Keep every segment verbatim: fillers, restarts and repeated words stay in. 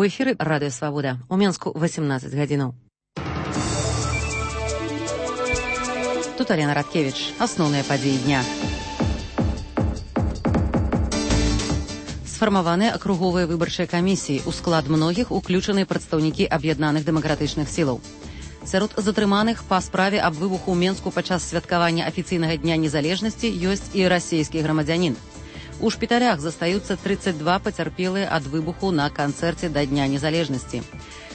У эфіры Радыё Свабода. У Менску восемнадцать гадзінаў. Тут Алена Радкевич. Асноўныя падзеі дня. Сфармаваныя акруговыя выбарчыя камісіі. У склад многіх уключаны прадстаўнікі аб'яднаных дэмакратычных сілаў. Сярод затрыманых па справе аб выбуху ў Менску падчас святкавання афіцыйнага дня незалежнасці ёсць і расійскі грамадзянін. У шпіталях застаюцца тридцать два пацярпелыя ад выбуху на канцэрце да Дня незалежнасці.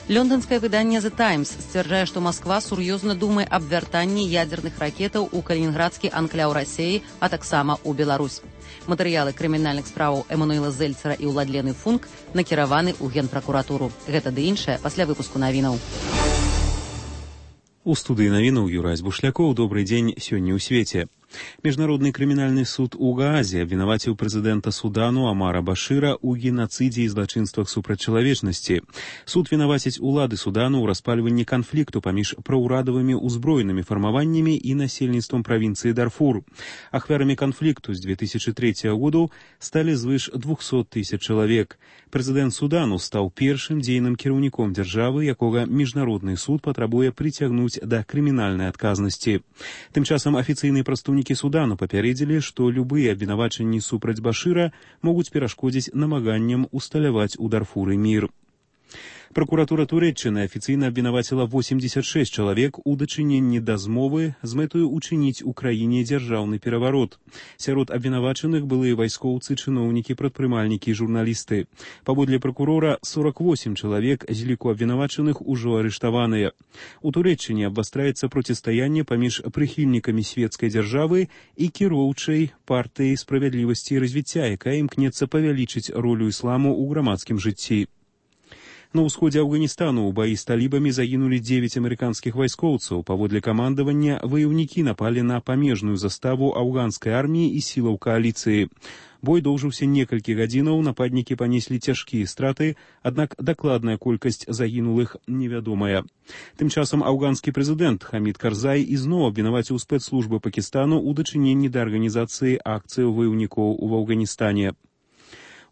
Лондонскае выданне The Times сцвярджае, што Масква сур'ёзна думае аб вяртанні ядзерных ракетаў у калінінградскі анкляў Расіі, а таксама ў Беларусь. Матэрыялы крымінальных справаў Эмануэла Зельцера і Уладлены Функ накіраваны ў Генпракуратуру. Гэта ды іншае пасля выпуску навінаў. У студыі навінаў Юрась Бушлякоў. Добрый дзень сёння ў свеце. Міжнародны крымінальны суд у Гаазе абвінаваціў прэзідэнта Судану Амара Башыра ў генацыдзе і злачынствах супраць чалавечнасці. Суд вінаваціць улады Судану ў распальванні канфлікту паміж праўрадавымі ўзброенымі фармаваннямі і насельніцтвам правінцыі Дарфур. Ахвярамі канфлікту з две тысячи третьего году сталі звыш двухсот тысяч чалавек. Прэзідэнт Судану стаў першым дзейным кіраўніком дзяржавы, якога міжнародны суд патрабуе прыцягнуць да крымінальнай адказнасці. Тым часам афіцыйныя прадстаўнікі Судану папярэдзілі, што любыя абвінавачанні супраць Башыра могуць перашкодзіць намаганням усталяваць у Дарфуры мір. Прокуратура Турэччыны афіцыйна абвінаваціла восемьдесят шесть чалавек у дачыненні да змовы з мэтаю учыніць у краіне дзяржаўны пераварот. Сярод абвінавачаных былыя вайскоўцы, чыноўнікі, прадпрымальнікі і журналісты. Паводле прокурора, сорок восемь чалавек з ліку абвінавачаных ужо арыштаваныя. У Турэччыне абвастраецца процістаянне паміж прыхільнікамі свецкай дзяржавы і кіроўчай партыяй справядлівасці і развіцця, якая імкнецца павялічыць ролю ісламу ў грамадскім жыцці. На ўсходзе Афганістану ў баі з талібамі загінулі дзевяць амерыканскіх вайскоўцаў. Паводле камандавання ваяўнікі напалі на памежную заставу афганскай арміі і сілаў кааліцыі. Бой доўжыўся некалькі гадзінаў, нападнікі панеслі цяжкія страты, аднак дакладная колькасць загінулых невядомая. Тым часам афганскі прэзідэнт Хамід Карзай ізноў абвінаваціў спецслужбы Пакістану ў дачыненні да арганізацыі акцыяў ваяўнікоў у Афганістане.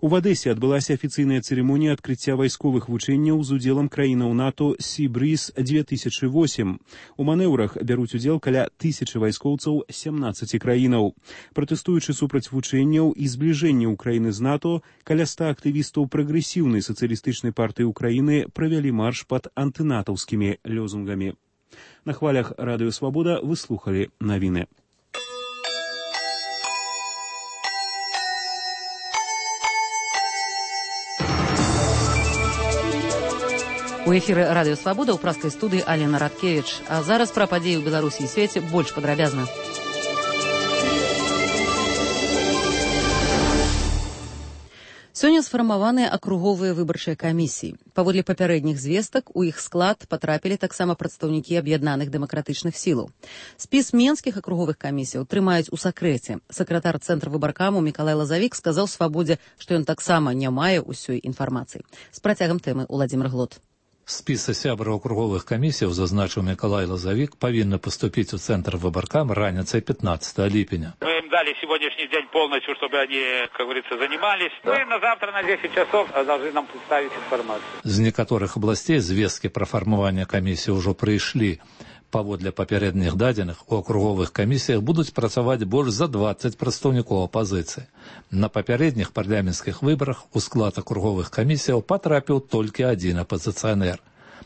У Адэсе адбылася афіцыйная цырымонія адкрыцця вайсковых вучэнняў з удзелам краінаў НАТО Sea Breeze две тысячи восемь. У манеўрах бяруць удзел каля тысячы вайскоўцаў семнаццаці краінаў. Пратэстуючы супраць вучэнняў і збліжэння ўкраіны з НАТО, каля ста актывістаў прагрэсіўнай сацыялістычнай партыі Украіны правялі марш пад антынатаўскімі лёзунгамі. На хвалях Радыё Свабода вы слухалі навіны. У эфіры Радыё Свабода ў праскай студыі Алена Радкевич. А зараз пра падзеі ў Беларусі і свеце больш падрабязна. Сёння сфармаваныя акруговыя выбарчыя камісіі. Паводле папярэдніх звестак, у іх склад патрапілі таксама прадстаўнікі аб'яднаных дэмакратычных сілаў. Спіс менскіх акруговых камісіяў трымаюць у сакрэце. Сакратар цэнтра выбаркаму Мікалай Лазавік сказаў Свабодзе, што ён таксама не мае ўсёй інфармацыі. З працягам тэмы Уладзімір Глот. Спісы сябраў акруговых камісіяў, зазначыў Мікалай Лазавік, павінны паступіць у цэнтр выбаркам раніцай пятнадцатого ліпеня. Мы им дали сегодняшний день полностью, чтобы они, как говорится, занимались. Да. Мы на завтра на десять часов должны нам представить информацию. З некаторых абласцей звесткі пра фармаванне камісіі ўжо прыйшлі. Паводле папярэдніх дадзеных, у акруговых камісіях будуць працаваць больш за двадцать прадстаўнікоў апазіцыі. На папярэдніх парламенцкіх выбарах у склад акруговых камісіяў патрапіў толькі адзін апазіцыянер.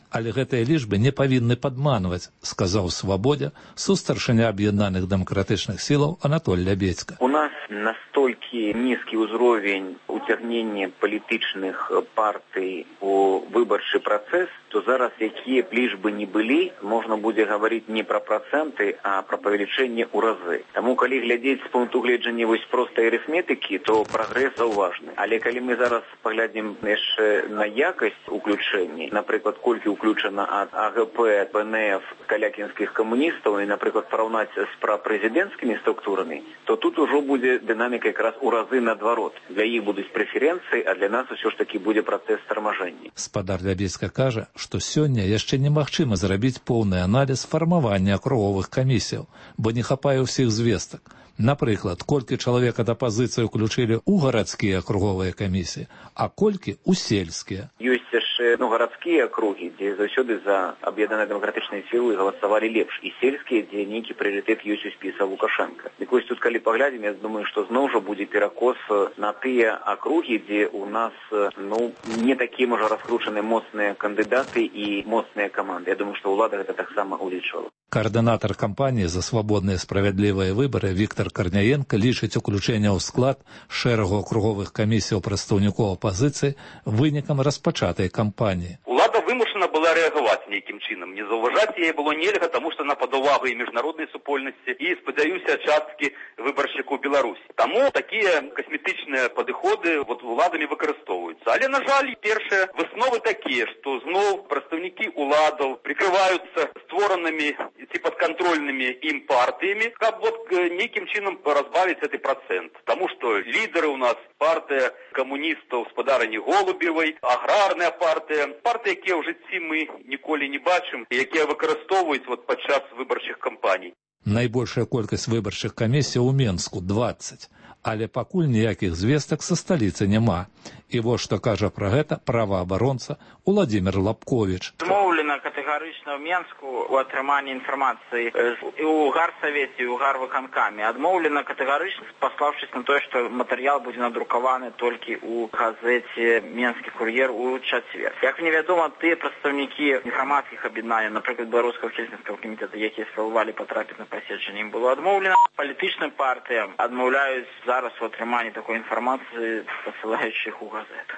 Але гэтыя лічбы не павінны падманваць, сказаў Свабодзе сустаршыня аб'яднаных дэмакратычных сілаў Анатоль Лябедзька. У нас настолькі нізкі ўзровень уцягнення палітычных партый у выбарчы працэс, то зараз якія б лічбы не былі, можна будзе гаварыць не пра працэнты, а пра павелічэнне ў разы. Таму калі глядзець з пункту гледжання вось простай арыфметыкі, то прагрэс заўважны. Але калі мы зараз паглядзім яшчэ на якасць уключэння, напрыклад, колькі уключана ад АГП, ПНФ, калякінскіх камуністаў і, напрыклад, параўнаць з прапрэзідэнцкімі структурамі, то тут ужо будзе дынаміка якраз у разы наадварот. Для іх будуць прэферэнцыі, а для нас усё ж такі будзе працэс тармажэння. Спадар Лябедзька кажа, што сёння яшчэ немагчыма зрабіць поўны аналіз фармавання акруговых камісіяў, бо не хапае ўсіх звестак. Напрыклад, колькі чалавек ад апазіцыі ўключылі ў гарадскія акруговыя камісіі, а колькі ў сельскія. Ёсць яшчэ яшчэ ну, гарадскія акругі, дзе заўсёды за аб'яднаныя дэмакратычныя сілы галасавалі лепш, і сельскія, дзе нейкі прыярытэт ёсць у спіса Лукашенка. Дык вось тут, калі паглядзім, я думаю, што зноў жа будзе перакос на тыя акругі, дзе у нас ну, не такія, можа, раскручаныя моцныя кандыдаты і моцныя каманды. Я думаю, што ўлада гэта таксама улічвала. Координатор кампанії за свободні і справедливі вибори Віктор Корняєнко лічить уключення у склад шерагу округових комісій представників опозиції виніком розпочатої кампанії. Улада вимушена була реагувати ніяким чином. Не зауважати її було нельга, тому що вона під увагою міжнародної супольності і, сподіваюся, частки виборщиків Білорусі. Тому такі косметичні підходи от владами використовуються. Але, на жаль, перші виснови такі, що знов представники уладів прикриваються створеними ці подконтрольными им партиями, как вот неким чином разбавить этот процент. Потому что лидеры у нас партия коммунистов с подарені Голубевой, аграрная партия, партия, які в житті ми ніколи не бачимо, які використовують вот під час виборчих кампаній. Найбольшая колькасць выбарчых камісій у Менску двадцать, але пакуль ніякіх звестак са сталіцы няма. І вось што кажа пра гэта праваабаронца Уладзімір Лапковіч. Змоўлена катэгарычна ў Менску у атрыманні інфармацыі і ў гарсавеце, і ў гарвыканкаме. Адмоўлена катэгарычна, паслаўшись на тое, што матэрыял будзе надрукаваны толькі ў газеце «Менскі кур'ер» у чацвер. Як мне вядома, тыя прадстаўнікі грамадскіх аб'яднанняў, напрыклад, Беларускага сельскага камітэта, якія спрабавалі патрапіць на паседжанне, ім было адмоўлена. Палітычным партыям адмаўляюць зараз у атрыманні такой інфармацыі, пасылаючых у газету.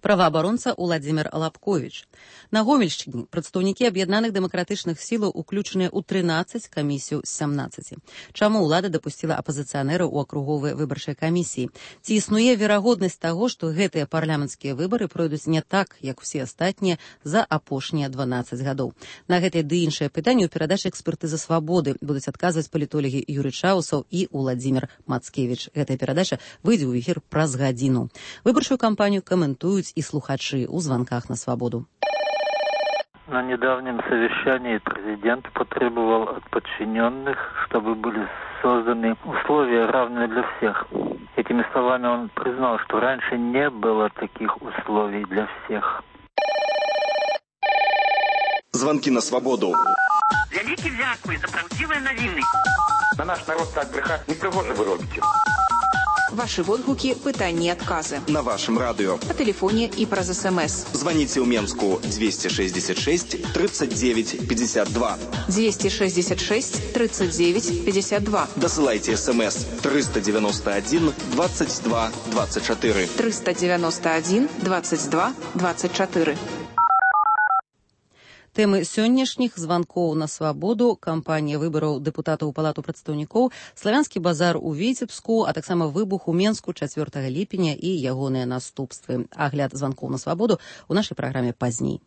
Праваабаронца Уладзімір Лапковіч. На Гомельшчыне прадстаўнікі аб'яднаных дэмакратычных сілаў уключаныя ў трынаццаць камісіяў з сямнаццаці. Чаму ўлада дапусціла апазіцыянераў у акруговыя выбарчыя камісіі? Ці існуе верагоднасць таго, што гэтыя парламенцкія выбары пройдуць не так, як усе астатнія за апошнія дванаццаць гадоў? На гэтыя ды іншыя пытанні ў перадачы «Экспертыза свабоды» будуць адказваць палітолагі Юрый Чаусаў і Уладзімір Мацкевіч. Гэтая перадача выйдзе ў эфір праз гадзіну. Выбарчую кампанію каментуюць и слухачи у звонках на свободу. На недавнем совещании президент потребовал от подчиненных, чтобы были созданы условия, равные для всех. Этими словами он признал, что раньше не было таких условий для всех. Звонки на свободу. Вялікі дзякуй за правдзівыя навіны. На наш народ так брехать не пригодно вы робите. Ваши водгуки, пытания и отказы. На вашем радио. По телефоне и про СМС. Звоните в Менску двести шестьдесят шесть тридцать девять пятьдесят два. двести шестьдесят шесть тридцать девять пятьдесят два. Досылайте СМС триста девяносто один двадцать два двадцать четыре. триста девяносто один двадцать два двадцать четыре. Тэмы сённяшніх званкоў на свабоду, кампанія выбараў дэпутатаў у палату прадстаўнікоў, славянскі базар у Віцебску, а таксама выбух у Менску чацвёртага ліпеня і ягоныя наступствы. Агляд званкоў на свабоду ў нашай праграме пазней.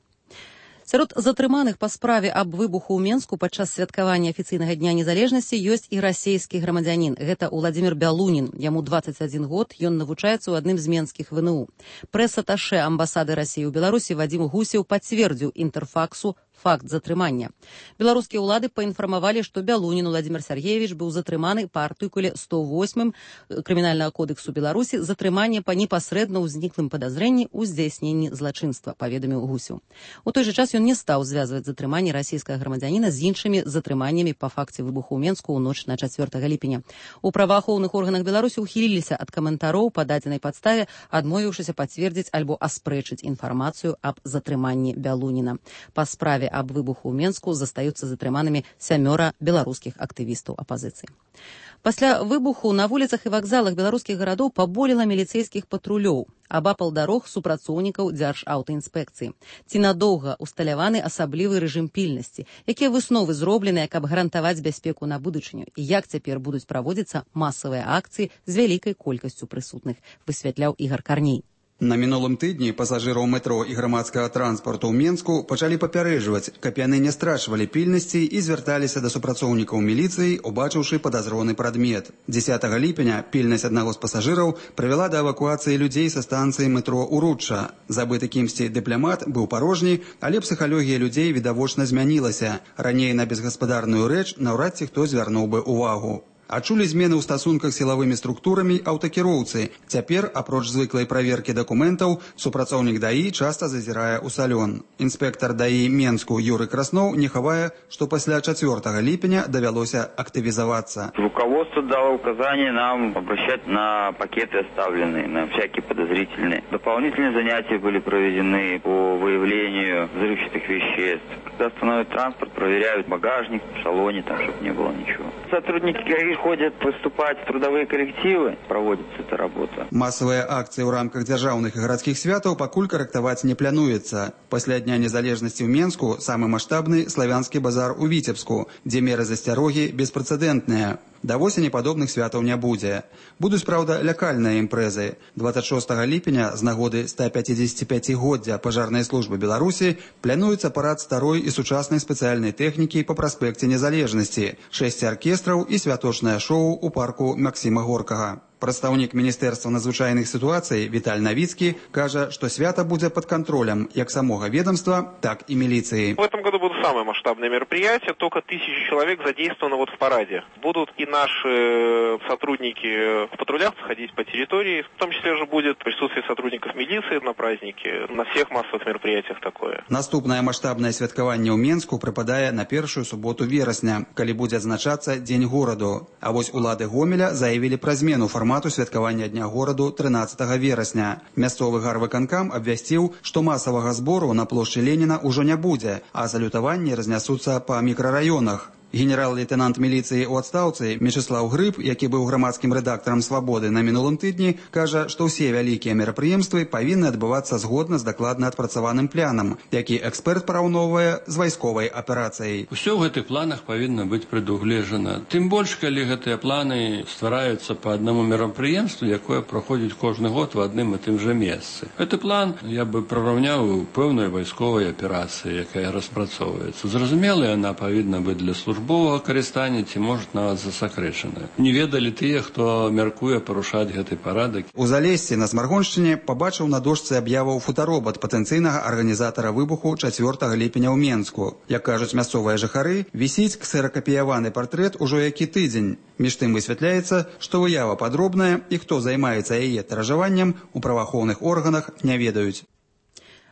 Сярод затрыманых па справе аб выбуху ў Менску падчас святкавання афіцыйнага дня незалежнасці ёсць і расейскі грамадзянін. Гэта Уладзімір Бялунін. Яму двадцаць адзін год, ён навучаецца ў адным з менскіх ВНУ. Прэс-аташэ амбасады Расіі ў Беларусі Вадзім Гусеў пацвердзіў Інтэрфаксу факт затрымання. Беларускія ўлады паінфармавалі, што Бялунін Уладзімір Сергеевич быў затрыманы па артыкуле сто восьмым Крымінальнага кодексу Беларусі затрыманне па непасрэдна ўзніклым падазрэнні ў здзяйсненні злачынства, паведаміў Гусеў. У той жа час ён не стаў звязваць затрыманне расійскага грамадзяніна з іншымі затрыманнямі па факце выбуху ў Менску ў ноч на чацвёртага ліпеня. У праваахоўных органах Беларусі ухіліліся ад каментароў па дадзенай падставе, адмовіўшыся пацвердзіць альбо аспрэчыць інфармацыю аб затрыманні Бялуніна. Па справе аб выбуху ў Менску застаюцца затрыманымі сямёра беларускіх актывістаў апазіцыі. Пасля выбуху на вуліцах і вакзалах беларускіх гарадоў паболела міліцэйскіх патрулёў, абапал дарог супрацоўнікаў дзяржаўтаінспекцыі. Ці надоўга усталяваны асаблівы рэжым пільнасці, якія высновы зробленыя, каб гарантаваць бяспеку на будучыню, і як цяпер будуць праводзіцца масавыя акцыі з вялікай колькасцю прысутных, высвятляў Ігар Карней. На мінулым тыдні пасажыраў метро і грамадскага транспарту ў Менску пачалі папярэджваць, каб яны не страчвалі пільнасці і звярталіся да супрацоўнікаў міліцыі, убачыўшы падазроны прадмет. дзесятага ліпеня пільнасць аднаго з пасажыраў прывяла да эвакуацыі людзей са станцыі метро Уручча. Забыты кімсьці дыпламат быў парожні, але псіхалогія людзей відавочна змянілася. Раней на безгаспадарную рэч наўрад ці хто звярнуў бы увагу. Адчулі змены ў стасунках з сілавымі структурамі аўтакіроўцы. Цяпер, апроч звыклай праверкі дакументаў, супрацоўнік ДАІ часта зазірае ў салён. Інспектар ДАІ Менску Юры Красноў не хавае, што пасля чацвёртага ліпеня давялося актывізавацца. Руководство дало указание нам обращать на пакеты оставленные, на всякие подозрительные. Дополнительные занятия были проведены по выявлению взрывчатых веществ. Когда остановят транспорт, проверяют багажник в салоне, там, чтобы не было ничего. Сотрудники ГАИ ходят выступать в трудовые коллективы, проводится эта работа. Массовые акции в рамках державных и городских святов пакуль корректовать не плануется. После Дня незалежности в Менску самый масштабный славянский базар у Витебску, где меры засцярогі беспрэцэдэнтныя. Да восені падобных святаў не будзе. Будуць, праўда, лякальныя імпрэзы. двадцать шостага ліпеня з нагоды ста пяцідзесяціпяцігоддзя пажарнай службы Беларусі плануецца парад старой і сучаснай спецыяльнай тэхнікі па праспекце Незалежнасці, шэсць аркестраў і святочнае шоу ў парку Максіма Горкага. Прадстаўнік Міністэрства надзвычайных сітуацый Віталь Навіцкі кажа, што свята будзе пад кантролем як самога ведомства, так и милиции. В этом году будут самые масштабные мероприятия, только тысячи человек задействованы вот в параде. Будут и наши сотрудники в патрулях ходить по территории, в том числе же будет присутствие сотрудников милиции на празднике, на всех массовых мероприятиях такое. Наступное масштабное святкаванне ў Менску прыпадае на першую суботу верасня, калі будзе адзначацца Дзень гораду. А вось улады Гомеля заявілі пра змену формату святкавання Дня гораду трынаццатага верасня. Мясцовы гарвыканкам абвясціў, што масавага збору на плошчы Леніна ўжо не будзе, а салютаванні разнясуцца па мікрараёнах. Генерал-лейтенант міліцыі ў адстаўцы Мечыслаў Грыб, які быў грамадскім рэдактарам «Свабоды» на мінулым тыдні, кажа, што ўсе вялікія мерапрыемствы павінны адбывацца згодна з дакладна адпрацаваным планам, які эксперт параўноўвае з вайсковай аперацыяй. Усё ў гэтых планах павінна быць прадугледжана. Тым больш, калі гэтыя планы ствараюцца па аднаму мерапрыемству, якое праходзіць кожны год у адным і тым жа месцы. Гэты план я бы прыраўняў пэўнай вайсковай аперацыі, якая распрацоўваецца. Зразумела, яна павінна быць для службы службовага карыстання ці, можа, нават засакрэчаная. Не ведалі тыя, хто мяркуе парушаць гэты парадак. У Залессі на Смаргоншчыне пабачыў на дошцы аб'яваў фотаробат патэнцыйнага арганізатара выбуху чацвёртага ліпеня ў Менску. Як кажуць мясцовыя жыхары, вісіць ксеракапіяваны партрэт ужо які тыдзень. Між тым высвятляецца, што выява падробная і хто займаецца яе тыражаваннем, у праваахоўных органах не ведаюць.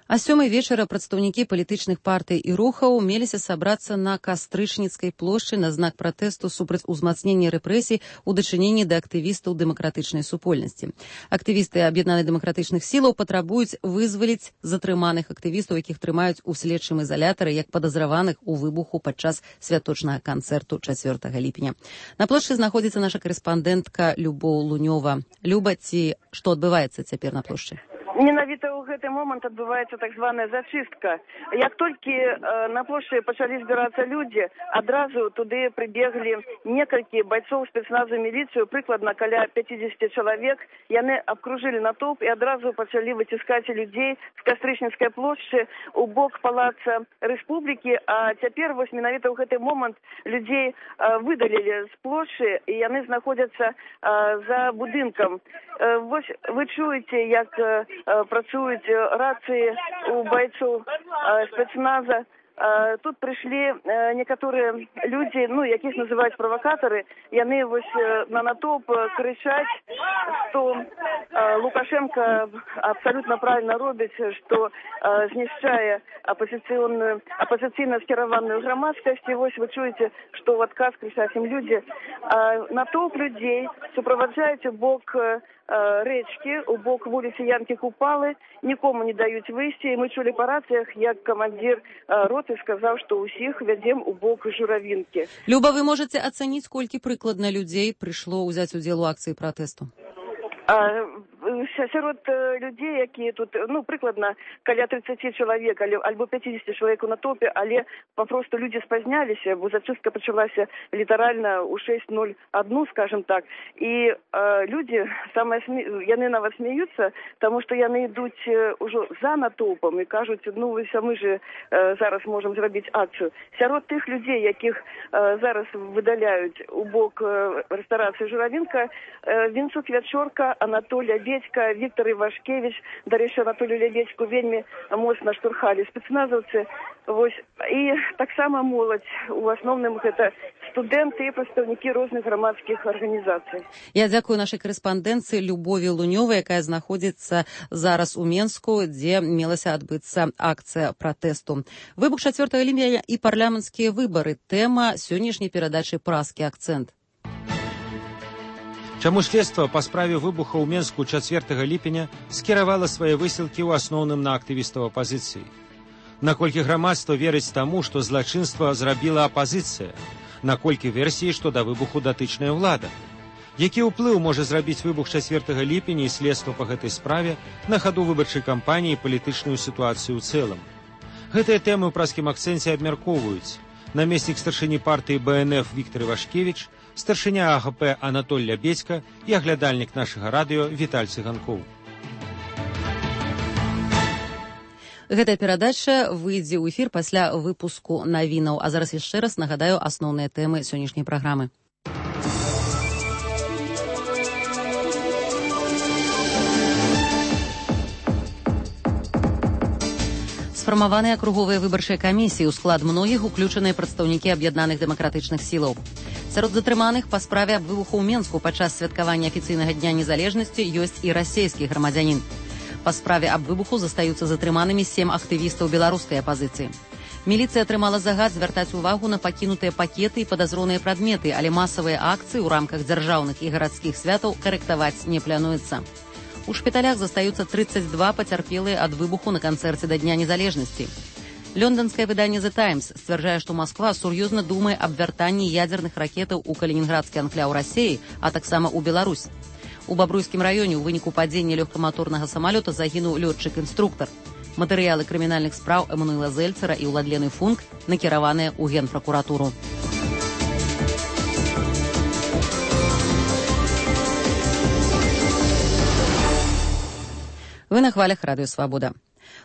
А сёмай вечара прадстаўнікі палітычных партый і рухаў меліся сабрацца на Кастрычніцкай плошчы на знак пратэсту супраць узмацнення рэпрэсій у дачыненні да актывістаў дэмакратычнай супольнасці. Актывісты аб'яднаных дэмакратычных сілаў патрабуюць вызваліць затрыманых актывістаў, якіх трымаюць у следчым изалятары як падазраваных у выбуху падчас святочнага канцэрту чацвёртага ліпеня. На плошчы знаходзіцца наша карэспандэнтка Любоў Лунёва. Люба, ці што адбываецца цяпер на плошчы? Менавіта ў гэты момант адбываецца так званая зачыстка. Як толькі э, на плошчы пачалі збірацца людзі, адразу туды прыбеглі некалькі байцоў спецназу міліцыю, прыкладна каля пяцідзесят чалавек. Яны абкружылі натоўп і адразу пачалі выціскаць людзей з Кастрычніцкай плошчы у бок палаца Рэспублікі. А цяпер вось менавіта ў гэты момант людзей э, выдалілі з плошчы і яны знаходзяцца э, за будынкам. Э, вось вы чуеце, як э, працуюць рацыі у байцоў спецназа. Тут прыйшлі некаторыя людзі, ну, якіх называюць правакатары. Яны вось на натоўп крычаць, што Лукашенко абсалютна правільна робіць, што знішчае апозіцыйную, апозіцыйна скіраваную грамадскасць. І вось вы чуеце, што ў адказ крычаць ім людзі. Натоўп людзей суправаджаюць у бок рэчкі, у бок вуліцы Янкі Купалы, нікому не даюць выйсці. І мы чулі па рацыях, як камандзір роты сказаў, што ўсіх вядзем у бок Журавінкі. Люба, вы можаце ацаніць, колькі прыкладна людзей прыйшло ўзяць удзел у акцыі пратэсту? А, сярод людзей, якія тут, ну, прыкладна каля тридцать чалавек, альбо пятьдесят чалавек на топе, але папросту людзі спазняліся, бо зачыстка пачалася літаральна ў шесть ноль один, скажем так. І а, людзі, самае смі... яны нават смеюцца, таму што яны ідуць ужо за натоўпам і кажуць, ну, вось, а мы же а, зараз можам зрабіць акцыю. Сярод тых людзей, якіх а, зараз выдаляюць у бок рэстарацыі Журавінка, Вінцук Вячорка, Анатолій Лябедька, Віктор Івашкевич, дарэчы, Анатолію Лябедьку вельмі моцна штурхалі спецназаўцы. Вось. І таксама моладзь, у асноўным гэта студэнты і прадстаўнікі розных грамадскіх арганізацый. Я дзякую нашай корэспандэнцыі Любові Лунёвай, якая знаходзіцца зараз у Менску, дзе мелася адбыцца акцыя пратэсту. Выбух чацвёртага ліпеня і парламенцкія выбары. Тэма сённяшняй перадачы «Празкі акцэнт». Чаму следства па справе выбуха ў Менску чацвёртага ліпеня скіравала свае высілкі ў асноўным на актывістаў апазіцыі? Наколькі грамадства верыць таму, што злачынства зрабіла апазіцыя? Наколькі версіі, што да выбуху датычная ўлада? Які ўплыў можа зрабіць выбух чацвёртага ліпеня і следства па гэтай справе на хаду выбарчай кампаніі і палітычную сітуацыю ў цэлым? Гэтыя тэмы ў празкім акцэнце абмяркоўваюць намеснік старшыні партыі бэ эн эф Віктор Івашкевич, старшыня а гэ пэ Анатоль Лябедька і аглядальнік нашага радыё Віталь Цыганкоў. Гэтая перадача выйдзе ў эфір пасля выпуску навінаў. А зараз яшчэ раз нагадаю асноўныя тэмы сённяшняй праграмы. Сфармаваныя акруговыя выбарчыя камісіі, у склад многіх уключаныя прадстаўнікі аб'яднаных дэмакратычных сілаў. Сярод затрыманых па справе аб выбуху ў Менску падчас святкавання афіцыйнага дня незалежнасці ёсць і расейскі грамадзянін. Па справе аб выбуху застаюцца затрыманымі сем актывістаў беларускай апазіцыі. Міліцыя атрымала загад звяртаць увагу на пакінутыя пакеты і падазроныя прадметы, але масавыя акцыі ў рамках дзяржаўных і гарадскіх святаў карэктаваць не плануецца. У шпіталях застаюцца трыццаць два пацярпелыя ад выбуху на канцэрце да Дня незалежнасці. Лёнданскае выданне «The Times» сцвярджае, што Масква сур'ёзна думае аб вяртанні ядзерных ракетаў у калінінградскі анкляў Расіі, а таксама ў Беларусь. У Бабруйскім раёне ў выніку падзення лёгкаматорнага самалёта загінуў лётчык-інструктар. Матэрыялы крымінальных спраў Эммануэла Зельцера і Уладлены Функ накіраваныя ў Генпракуратуру. Вы на хвалях радыё «Свабода».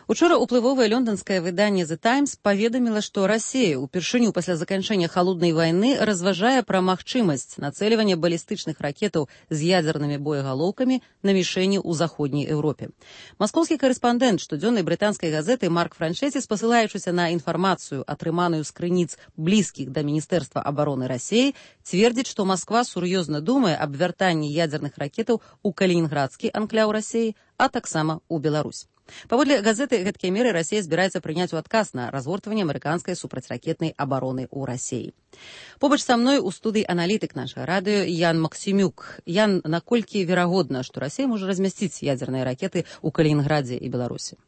Учора уплывовае лёнданскае выданне «The Times» паведаміла, што Расія упершыню пасля заканчэння халоднай вайны разважае пра магчымасць нацэльвання балістычных ракетаў з ядзернымі боегалоўкамі на мішэні ў заходняй Еўропе. Маскоўскі карэспандэнт штодзённай брытанскай газеты Марк Франчэці, спасылаючыся на інфармацыю, атрыманую з крыніц блізкіх да Міністэрства абароны Расіі, цвердзіць, што Масква сур'ёзна думае аб вяртанні ядзерных ракетаў у калінінградскі анкляў Расіі, а таксама ў Беларусь. Паводле газеты, гэткія меры Расія збіраецца прыняць у адказ на развортванне амерыканскай супрацьракетнай абароны ў Расіі. Побач са мной у студыі аналітык нашага радыё Ян Максімюк. Ян, наколькі верагодна, што Расія можа размясціць ядзерныя ракеты ў Калінінградзе і Беларусі?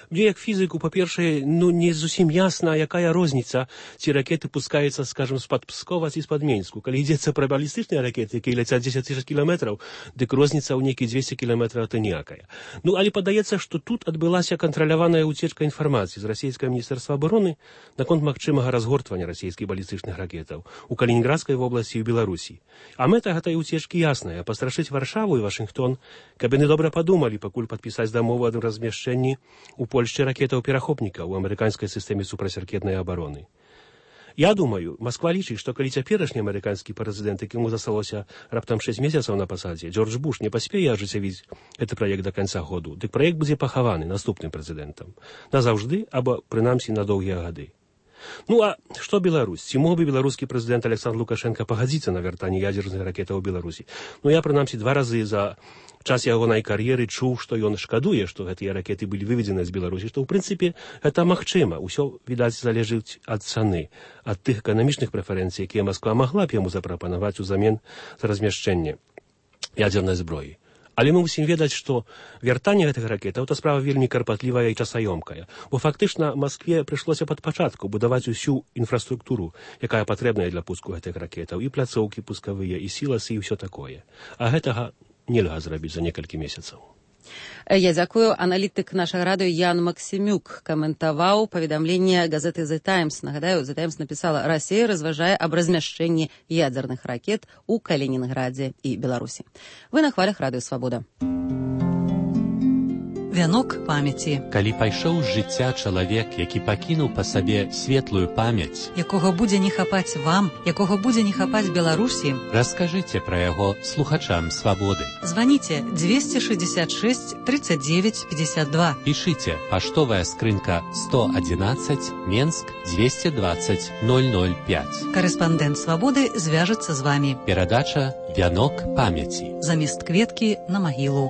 Мне, як фізику, па-першае, ну, не зусім ясна, якая розніца, ці ракеты пускаюцца, скажем, з-пад Пскова ці з-пад Менску. Калі ідзецца пра балістычныя ракеты, якія ляцяць дзесяць тысяч кіламетраў, дык розніца ў нейкі дзвесце кіламетраў то ніякая. Ну, але падаецца, што тут адбылася кантраляваная ўцечка інфармацыі з расійскага міністэрства абароны наконт магчымага разгортвання расійскіх балістычных ракетаў у Калінінградскай вобласці і ў Беларусі. А мэта гэтай уцечкі ясная — пастрашыць Варшаву і Вашынгтон, каб яны добра падумалі, пакуль падпісаць дамову аб размяшчэнні у Польшчы ракетаў-перахопнікаў у амерыканскай сістэме супрацьракетнай абароны. Я думаю, Масква лічыць, што калі цяперашні амерыканскі прэзідэнт, якому засталося раптам шэсць месяцаў на пасадзе, Джордж Буш, не паспее ажыццявіць гэты праект да канца году, дык праект будзе пахаваны наступным прэзідэнтам назаўжды або прынамсі на доўгія гады. Ну а што Беларусь? Ці мог бы беларускі прэзідэнт Александр Лукашенко пагадзіцца на вяртанне ядзерных ракетаў у Беларусі? Ну я прынамсі два разы за час ягонай кар'еры чуў, што ён шкадуе, што гэтыя ракеты былі выведзены з Беларусі, што ў прынцыпе гэта магчыма. Усё, відаць, залежыць ад цаны, ад тых эканамічных прэферэнцый, якія Масква магла б яму запрапанаваць узамен за размяшчэнне ядзернай зброі. Але мы мусім ведаць, што вяртанне гэтых ракетаў — это справа вельмі карпатлівая і часаёмкая, бо фактычна Маскве прыйшлося пад пачатку будаваць усю інфраструктуру, якая патрэбная для пуску гэтых ракетаў, і пляцоўкі пускавыя, і сіласы, і ўсё такое. А гэтага нельга зрабіць за некалькі месяцаў. Я дзякую. Аналітык нашага радыё Ян Максімюк каментаваў паведамленне газеты «The Times». Нагадаю, «The Times» напісала: «Расія разважае аб размяшчэнні ядзерных ракет у Калінінградзе і Беларусі». Вы на хвалях радыё «Свабода». вянок памяці. Калі пайшоў з жыцця чалавек, які пакінуў па сабе светлую памяць, якога будзе не хапаць вам, якога будзе не хапаць Беларусі, раскажыце пра яго слухачам свабоды. Званіце двести шестьдесят шесть тридцать девять пятьдесят два. Пішыце паштовая скрынка сто одиннадцать, Менск двести двадцать ноль ноль пять. Карэспандэнт свабоды звяжацца з вамі. Перадача «Вянок памяці». Замест кветкі на магілу.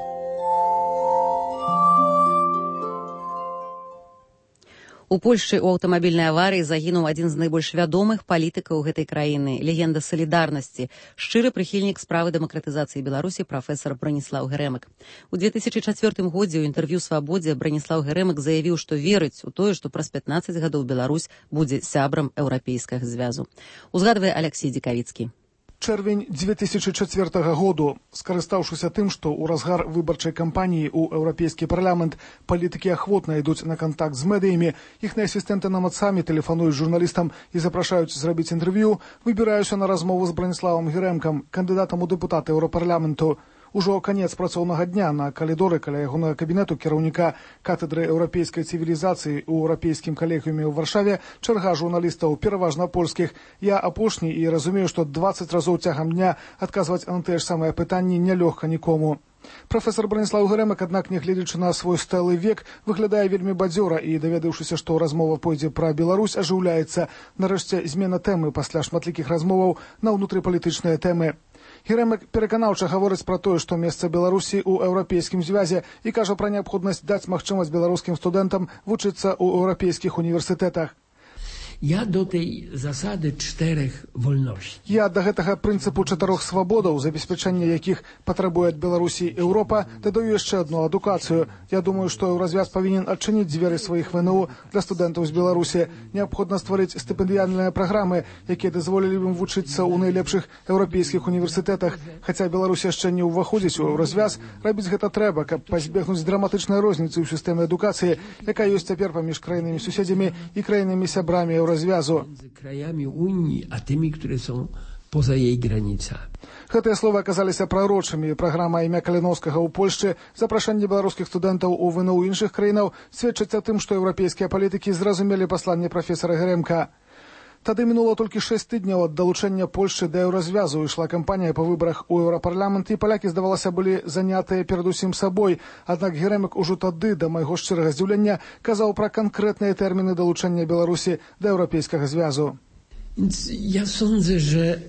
У Польшчы ў аўтамабільнай аварыі загінуў адзін з найбольш вядомых палітыкаў гэтай краіны, легенда салідарнасці, шчыры прыхільнік справы дэмакратызацыі Беларусі прафесар Браніслаў Грэмык. У две тысячи чацвёртым годзе ў інтэрв'ю «Свабодзе» Браніслаў Грэмык заявіў, што верыць у тое, што праз пятнаццаць гадоў Беларусь будзе сябрам еўрапейскага звязу. Узгадвае Алексей Дзікавіцкі. Чэрвень две тысячи чацвёртага году. Скарыстаўшыся тым, што ў разгар выбарчай кампаніі ў еўрапейскі парламент палітыкі ахвотна ідуць на кантакт з медыямі, іхныя асістэнты нават самі тэлефануюць журналістам і запрашаюць зрабіць інтэрв'ю, выбіраюся на размову з Браніславам Грэмкам, кандыдатам у дэпутаты еўрапарламенту. Ужо канец працоўнага дня на калідоры каля ягонага кабінету кіраўніка катедры еўрапейскай цывілізацыі ў еўрапейскім калегіуме ў Варшаве чарга журналістаў, пераважна польскіх. Я апошні і разумею, што дваццаць разоў цягам дня адказваць на тыя ж самыя пытанні нялёгка нікому. Прафесор Браніслаў Грэмык, аднак, нягледзячы на свой сталы век, выглядае вельмі бадзёра і, даведаўшыся, што размова пойдзе пра Беларусь, ажыўляецца. Нарэшце, змена тэмы пасля шматлікіх размоваў на ўнутрыпалітычныя тэмы. Грэмык пераканаўча гаворыць пра тое, што месца Беларусі ў еўрапейскім звязе і кажа пра неабходнасць даць магчымасць беларускім студэнтам вучыцца ў еўрапейскіх універсітэтах. Я до tej zasady czterech wolności. Я да гэтага прынцыпу чатырох свабодаў, забеспячэння якіх патрабуе ад Беларусі Еўропа, дадаю яшчэ адну адукацыю. Я думаю, што еўразвяз павінен адчыніць дзверы сваіх ВНУ для студэнтаў з Беларусі. Неабходна стварыць стыпендыяльныя праграмы, якія дазволілі ім вучыцца ў найлепшых еўрапейскіх універсітэтах. Хаця Беларусь яшчэ не ўваходзіць у еўразвяз, рабіць гэта трэба, каб пазбегнуць драматычнай розніцы ў сістэме адукацыі, якая ёсць цяпер паміж краінамі-суседзямі і краінамі-сябрамі развязу. Krajami Unii, a tymi, które są poza jej granicami. Гэтыя словы аказаліся прарочымі. Праграма імя Каліноўскага ў Польшчы, запрашэнне беларускіх студэнтаў у ВНУ іншых краінаў сведчыць о тым, што еўрапейскія палітыкі зразумелі пасланне прафесара Грэмка. Тады мінула толькі шэсць тыдняў ад далучэння Польшчы да еўразвязу. Ішла кампанія па выбарах у еўрапарламент, і палякі, здавалася, былі занятыя перадусім сабой. Аднак Грэмык ужо тады, да майго шчырага здзіўлення, казаў пра канкрэтныя тэрміны далучэння Беларусі да еўрапейскага звязу. Ja sądzę, że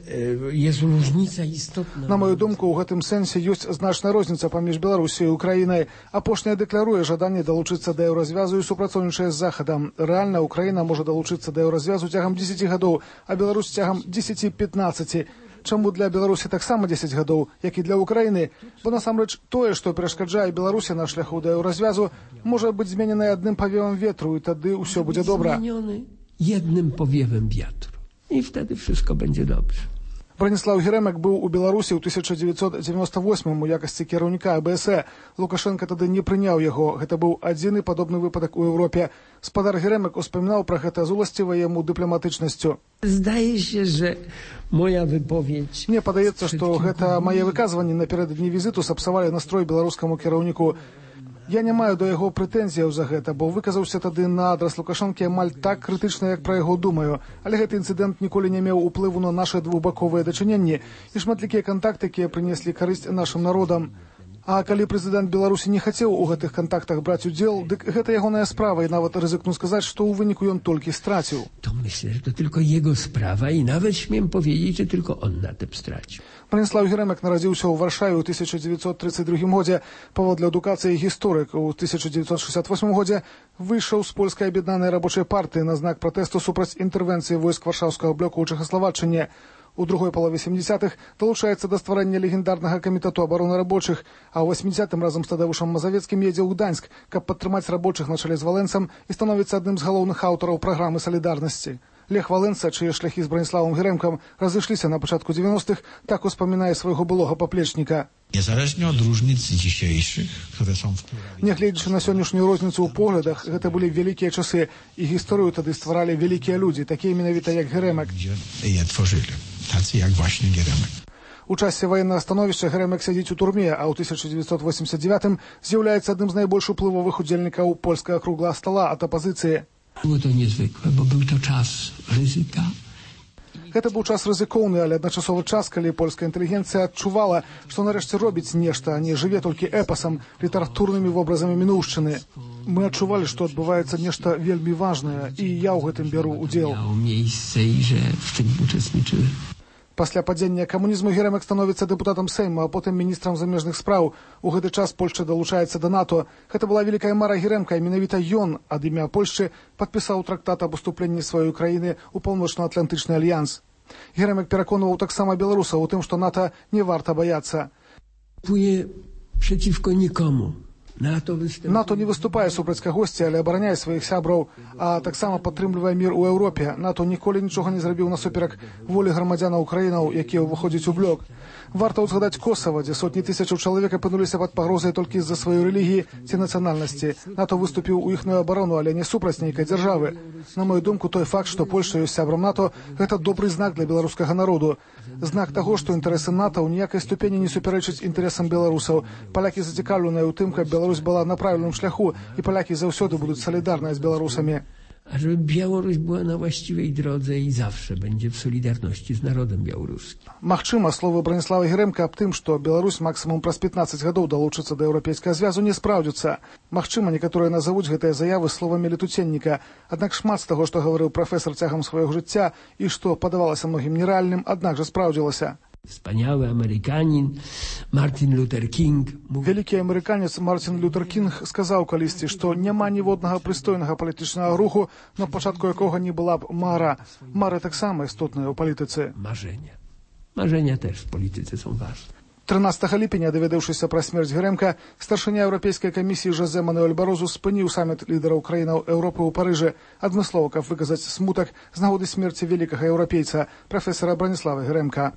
jest różnica istotna. На мою думку, у гэтым сэнсе ёсць значная розніца паміж Беларусіяй і Украінай. Апошняя дэкларуе жаданне далучыцца да еўразвязу і супрацоўнічае з Захадам. Рэальна Украіна можа далучыцца да еўразвязу цягам дзесяці гадоў, а Беларусь цягам дзесяці-пятнаццаці. Чаму для Беларусі таксама дзесяць гадоў, як і для Украіны? Бо насамрэч тое, што перашкаджае Беларусі на шляху да еўразвязу, можа быць змененае адным павевам ветру, і тады ўсё будзе добра. Zmieniony jednym powiewem wiatru. I wtedy wszystko będzie dobrze. Браніслаў Грэмык быў у Беларусі ў тысяча дзевяцьсот дзевяносто восьмым у якасці кіраўніка АБС. Лукашенко тады не прыняў яго. Гэта быў адзіны падобны выпадак у Еўропе. Спадар Грэмык успамінаў пра гэта з уласцівай яму дыпламатычнасцю. Zdaje się, że moja wypowiedź... Мне падаецца, што гэта мае выказванні напярэдадні візіту сапсавалі настрой беларускаму кіраўніку. Я не маю да яго прэтэнзіяў за гэта, бо выказаўся тады на адрас Лукашэнкі амаль так крытычна, як пра яго думаю. Але гэты інцыдэнт ніколі не меў уплыву на нашы двухбаковыя дачыненні і шматлікія кантакты, якія прынеслі карысць нашым народам. А калі прэзідэнт Беларусі не хацеў у гэтых кантактах браць удзел, дык гэта ягоная справа, і нават рызыкну сказаць, што ў выніку ён толькі страціў. To myślę, że to tylko jego sprawa i nawet śmiem powiedzieć, że tylko on na tym stracił. Браніслаў Грэмык нарадзіўся ў Варшаве ў тысяча дзевяцьсот тридцаць другім годзе. Паводле адукацыі гісторык у тысяча дзевяцьсот шестьдесят восьмым годзе выйшаў з польскай аб'яднанай рабочай партыі на знак пратэсту супраць інтэрвенцыі войск варшаўскага блоку ў Чэхаславаччыне. У другой палове сямдзесятых далучаецца да стварэння легендарнага камітэту абароны рабочых, а ў восьмідзесятым разам з Тадеушам Мазавецкім едзе ў Гданьск, каб падтрымаць рабочых на чале з Валенцам і становіцца адным з галоўных аўтараў праграмы салідарнасці. Лех Валенца, чые шляхі з Браніславам Грэмкам разышліся на пачатку дзевяностых, так успамінае свайго былога паплечніка. Niezależnie od różnic dzisiejszych, które są w pluralizmie. Нягледзячы на сённяшнюю розніцу ў поглядах, гэта былі вялікія часы, і гісторыю тады стваралі вялікія людзі, такія менавіта як Грэмак. Je tworzyli, tacy jak właśnie Gierymyk. У часе военного становішча Геремек сядзіць у турме, а ў тысяча девятьсот восемьдесят девятым з'яўляецца адным з найбольш уплывовых удзельнікаў польскага круглага стола ад апазіцыі. Było to niezwykłe, bo był to czas ryzyka. Гэта быў час рызыкоўны, але адначасовы час, калі польская інтэлігенцыя адчувала, што нарэшце робіць нешта, а не жыве толькі эпасам, літаратурнымі вобразамі мінуўшчыны. Мы адчувалі, што адбываецца нешта вельмі важнае, і я ў гэтым бяру удзел. Пасля падзення камунізму Геремек становіцца дэпутатам Сейму, а потым міністрам замежных спраў. У гэты час Польшча далучаецца да НАТО. Гэта была вялікая мара Геремка, і менавіта ён ад імя Польшчы падпісаў трактат аб уступленні сваёй краіны ў паўночна-атлантычны альянс. Геремек пераконваў таксама беларусаў у тым, што НАТО не варта баяцца. Płynie przeciwko nikomu. НАТО не выступае супраць кагосьці, але абараняе сваіх сябраў, а таксама падтрымлівае мір у Еўропе. НАТО ніколі нічога не зрабіў насуперак волі грамадзянаў краінаў, якія ўваходзяць у блок. Варта ўзгадаць Косава, дзе сотні тысячаў чалавек апынуліся пад пагрозай толькі з-за сваёй рэлігіі ці нацыянальнасці. НАТО выступіў у іхную абарону, але не супраць нейкай дзяржавы. На мою думку, той факт, што Польшча ёсць сябрам НАТО, гэта добры знак для беларускага народу. Знак таго, што інтарэсы НАТО ў ніякай ступені не супярэчаць інтарэсам беларусаў. Палякі зацікаўленыя ў тым, каб Беларусь была на правильным шляху, і палякі заўсёды будуць салідарныя з беларусамі. A żeby Białoruś była na właściwej drodze i zawsze będzie w solidarności z narodem białoruskim. Магчыма, словы Браніслава Геремка аб тым, што Беларусь максімум праз пятнаццаць гадоў далучыцца да еўрапейскага звязу, не спраўдзіцца. Магчыма, некаторыя назавуць гэтыя заявы словамі летуценніка. Аднак шмат з таго, што гаварыў прафесар цягам свайго жыцця і што падавалася многім нерэальным, аднак жа спраўдзілася. Wspaniały Amerykanin Martin Luther King. Вялікі амерыканец Мартин Лютер Кінг сказаў калісьці, што няма ніводнага прыстойнага палітычнага руху, на пачатку якога не была б мара. Мары таксама істотныя ў палітыцы. Marzenia. Marzenia też w polityce są ważne. трынаццатага ліпеня, даведаўшыся пра смерць Геремка, старшыня Еўрапейскай камісіі Жозе Мануэль Барозу спыніў саміт лідараў краінаў Еўропы ў Парыжы, адмыслова, каб выказаць смутак з нагоды смерці вялікага еўрапейца, прафесара Браніслава Геремка.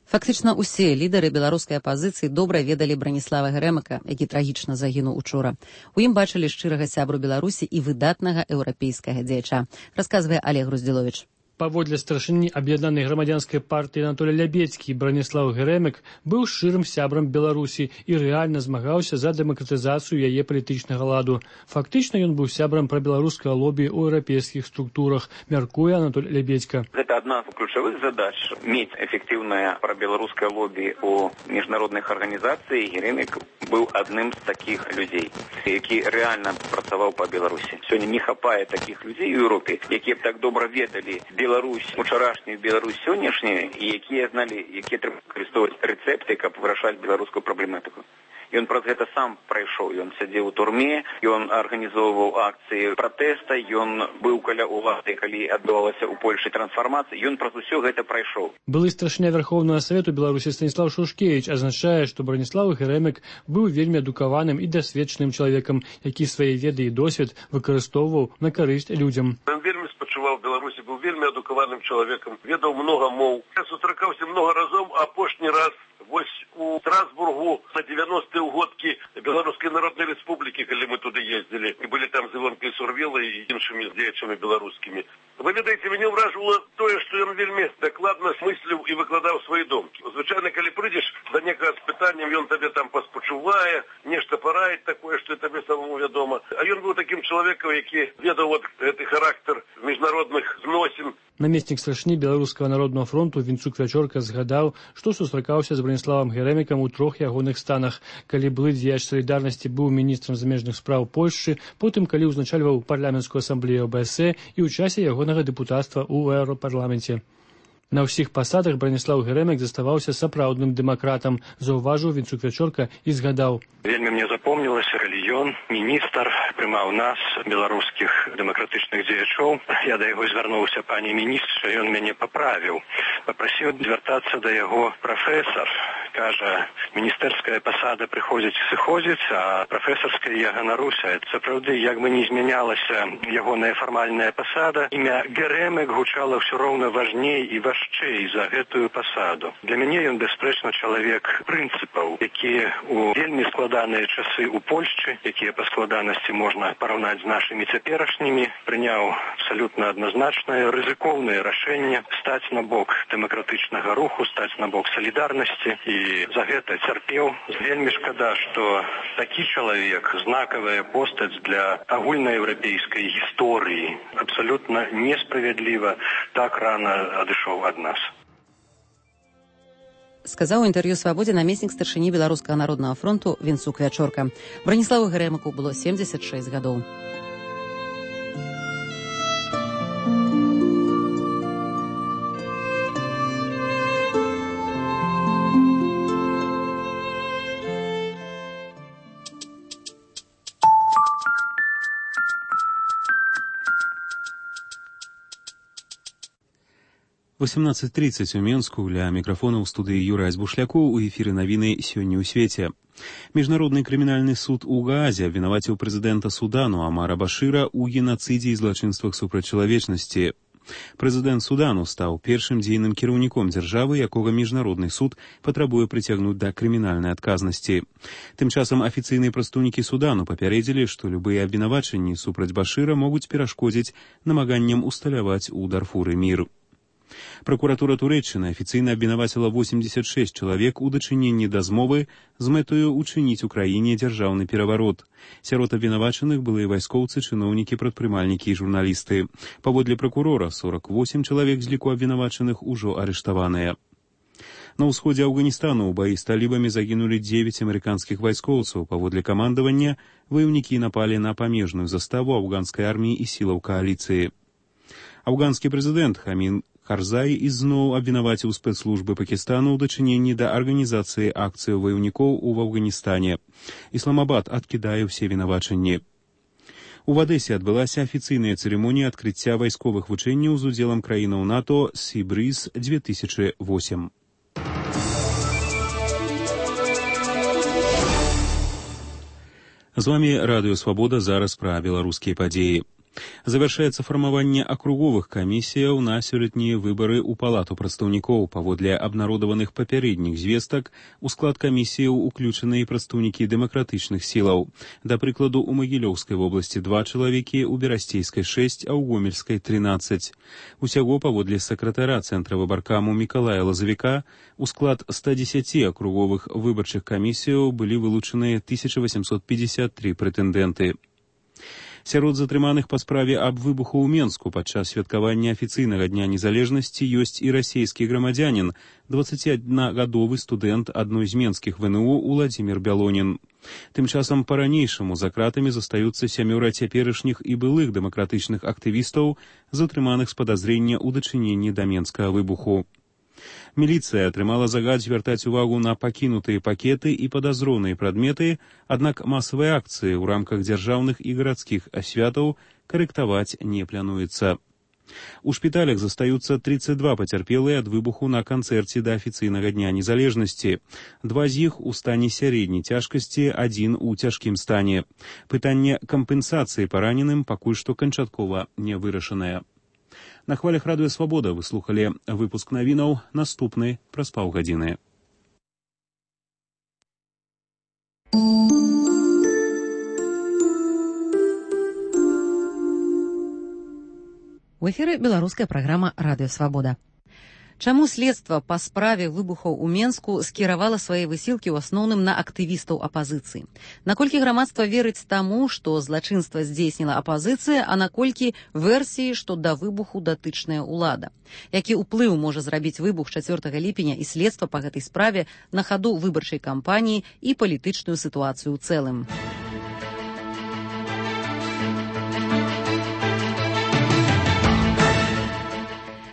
Фактычна ўсе лідары беларускай апазіцыі добра ведалі Браніслава Геремка, які трагічна загінуў учора. У ім бачылі шчырага сябру Беларусі і выдатнага еўрапейскага дзеяча, расказвае Олег Груздзіловіч. Паводле старшыні аб'яднанай грамадзянскай партыі Анатолій Лябецкі, Браніслав Геремек быў шчырым сябрам Беларусі і рэальна змагаўся за дэмакратызацыю яе палітычнага ладу. Фактычна ён быў сябрам прабеларускага лобі ў еўрапейскіх структурах, мяркуе Анатолій Лябецька. Гэта адна з ключавых задач мець эфектыўнае прабеларускае лобі ў міжнародных арганізацый. Геремек быў адным з такіх людзей, які рэальна працаваў па Беларусі. Сёння не хапае такіх людзей у Еўропе, якія б так добра ведалі Беларусь, учарашнюю Беларусь сённяшнюю, і якія зналі, якія трэба выкарыстоўваць рэцэпты, каб вырашаць беларускую праблематыку. Ён праз гэта сам прайшоў, ён сядзеў у турме, ён арганізоўваў акцыі пратэста, ён быў каля ўлады, калі адбывалася ў Польшчы трансфармацыя, ён праз усё гэта прайшоў. Былы старшыня Верховнага Савету Беларусі Станіслав Шушкевіч азначае, што Браніслав Геремек быў вельмі адукаваным і дасведчаным чалавекам, які свае веды і досвед выкарыстоўваў на карысць людзям. Ён вельмі спачуваў Беларусі, быў вельмі адукаваным чалавекам, ведаў многа моў. Я сустракаўся многа разоў, а апошні раз вось у Страсбургу на девяностыя ўгодкі Беларускай Народнай Рэспублікі, калі мы туды ездзілі, і былі там з Івонкай Сурвілай і іншымі дзеячамі беларускімі. Вы ведаеце, мяне ўражвала тое, што ён вельмі дакладна смысліў і выкладаў свае думкі. Звычайна, калі прыйдзеш да некага з пытаннем, ён табе там паспачувае, нешта параіць такое, што табе самому вядома. А ён быў такім чалавекам, які ведаў вот гэты характар міжнародных зносін. Намеснік старшыні Беларускага народнага фронту Вінцук Вячорка згадаў, што сустракаўся з Браніславам Геремекам у трох ягоных станах, калі былы дзеяч салідарнасці быў міністрам замежных спраў Польшчы, потым калі ўзначальваў парламенцкую асамблею О Бэ Эс Е і ў часе ягонага дэпутацтва ў Еўрапарламенце. На ўсіх пасадах Браніслав Геремек заставаўся сапраўдным дэмакратам, заўважыў Вінцук Вячорка і згадаў. Вельмі мне запомнілася, калі ён, міністр, прымаў нас, беларускіх дэмакратычных дзеячоў. Я да яго звярнуўся, пані міністр, ён мяне паправіў. Папрасіў звяртацца да яго прафесар. кажа, міністэрская пасада прыходзіць і сыходзіць, а прафесарская я ганаруся. Сапраўды, як бы не змянялася ягоная фармальная пасада, імя Геремек гучала ўсё роўна важней і важчэй за гэтую пасаду. Для мяне ён бясспрэчна чалавек прынцыпаў, якія у вельмі складаныя часы ў Польшчы, якія па складанасці можна параўнаць з нашымі цяперашнімі, прыняў абсалютна адназначнае рызыкоўнае рашэнне стаць на бок дэмакратычнага руху, стаць на бок салідарнасці, і за гэта цярпеў. Вельмі шкада, што такі чалавек, знакавая постаць для агульнаеўрапейскай гісторыі, абсалютна несправядліва так рана адышоў ад нас. Сказаў у інтэрв'ю «Свабодзе» намеснік старшыні Беларускага народнага фронту Вінцук Вячорка. Браніславу Геремеку было семдзесят шэсць гадоў. восемнадцать тридцать у Менску. Ля мікрафона ў студыі Юрай Збушлякоў. У эфіры навіны сёння ў свеце. Міжнародны крымінальны суд у Гаазе абвінаваціў прэзідэнта Судану Амара Башыра ў генацыдзе і злачынствах супраць чалавечнасці. Прэзідэнт Судану стаў першым дзейным кіраўніком дзяржавы, якога міжнародны суд патрабуе прыцягнуць да крымінальнай адказнасці. Тым часам афіцыйныя прадстаўнікі Судану папярэдзілі, што любыя абвінавачанні супраць Башыра могуць перашкодзіць намаганням усталяваць у Дарфуры мір. Пракуратура Турэччыны афіцыйна абвінаваціла восемьдесят шесть чалавек у дачыненні да змовы з мэтаю учыніць у краіне дзяржаўны пераварот. Сярод абвінавачаных былыя вайскоўцы, чыноўнікі, прадпрымальнікі і журналісты. Паводле пракурора, сорок восемь чалавек з ліку абвінавачаных ужо арыштаваныя. На ўсходзе Афганістану ў баі з талібамі загінулі дзевяць амерыканскіх вайскоўцаў. Паводле камандавання, ваяўнікі напалі на памежную заставу афганскай арміі і сілаў кааліцыі. Афганскі прэзідэнт Хамін Карзай ізноў абвінаваціў спецслужбы Пакістану ў дачыненні да арганізацыі акцыяў ваяўнікоў у Афганістане. Ісламабад адкідае ўсе вінавачанні. У Адэсе адбылася афіцыйная цырымонія адкрыцця вайсковых вучэнняў з удзелам краінаў НАТО «Сібрыз две тысячи восемь». З вамі Радыё Свабода, зараз пра беларускія падзеі. Завяршаецца фармаванне акруговых камісіяў на сёлетнія выбары ў палату прадстаўнікоў. Паводле абнародаваных папярэдніх звестак, у склад камісіяў уключаныя прадстаўнікі дэмакратычных сілаў. Да прыкладу, у Магілёўскай вобласці два чалавекі, у Берасцейскай шэсць, а ў Гомельскай трынаццаць. Усяго, паводле сакратара цэнтра выбаркаму Мікалая Лазавіка, у склад ста дзесяці акруговых выбарчых камісіяў былі вылучаныя тысяча восемьсот пятьдесят три прэтэндэнты. Сярод затрыманых па справе аб выбуху ў Менску падчас святкавання афіцыйнага дня незалежнасці ёсць і расійскі грамадзянін, дваццаціднагадовы студэнт адной з менскіх вэ эн у Уладзімір Бялонін. Тым часам па-ранейшаму за кратамі застаюцца сямёра цяперашніх і былых дэмакратычных актывістаў, затрыманых з падазрення ў дачыненні да менскага выбуху. Міліцыя атрымала загад звяртаць увагу на пакінутыя пакеты і падазроныя прадметы, аднак масавыя акцыі ў рамках дзяржаўных і гарадскіх асвятаў карэктаваць не плануецца. У шпіталях застаюцца тридцать два пацярпелыя ад выбуху на канцэрце да афіцыйнага дня незалежнасці. Два з іх у стане сярэдняй цяжкасці, адзін у цяжкім стане. Пытанне кампенсацыі параненым пакуль што канчаткова не вырашанае. На хвалях Радыё Свабода вы слухалі выпуск навінаў, наступны праз паўгадзіны. У эфіры беларуская праграма «Радыё Свабода». Чаму следства па справе выбухаў у Менску скіравала свае высілкі ў асноўным на актывістаў апазіцыі? Наколькі грамадства верыць таму, што злачынства здзейсніла апазіцыя, а наколькі версіі, што да выбуху датычная ўлада? Які ўплыў можа зрабіць выбух чацвёртага ліпеня і следства па гэтай справе на хаду выбарчай кампаніі і палітычную сітуацыю ў цэлым?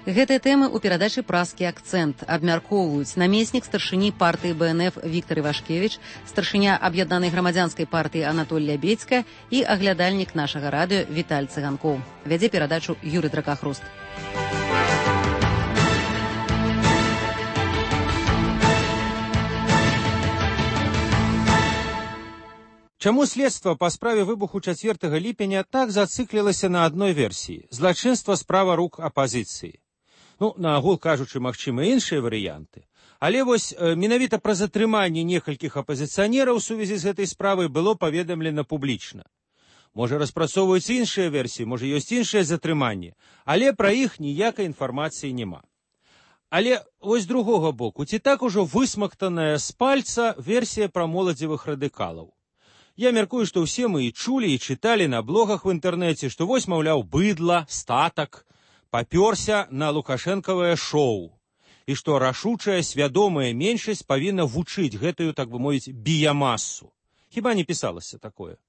Гэтыя тэмы ў перадачы «Празкі акцэнт» абмяркоўваюць намеснік старшыні партыі бэ эн эф Віктар Івашкевіч, старшыня аб'яднанай грамадзянскай партыі Анатоль Лябедзька і аглядальнік нашага радыё Віталь Цыганкоў. Вядзе перадачу Юрый Дракахруст. Чаму следства па справе выбуху чацвёртага ліпеня так зациклілася на адной версіі? Злачынства справа рук апазіцыі. Ну, наогул кажучы, магчыма іншыя варыянты. Але вось э, менавіта пра затрыманне некалькіх апазіцыянераў у сувязі з гэтай справай было паведамлена публічна. Можа, распрацоўваюць іншыя версіі, можа, ёсць іншае затрыманне, але пра іх ніякай інфармацыі няма. Але вось з другога боку, ці так ужо высмактаная з пальца версія пра моладзевых радыкалаў? Я мяркую, што ўсе мы і чулі, і чыталі на блогах в інтэрнэце, што вось, маўляў, быдла, статак, папёрся на лукашэнкавае шоу, і што рашучая, свядомая меншасць павінна вучыць гэтую, так бы мовіць, біямасу. Хіба не пісалася такое?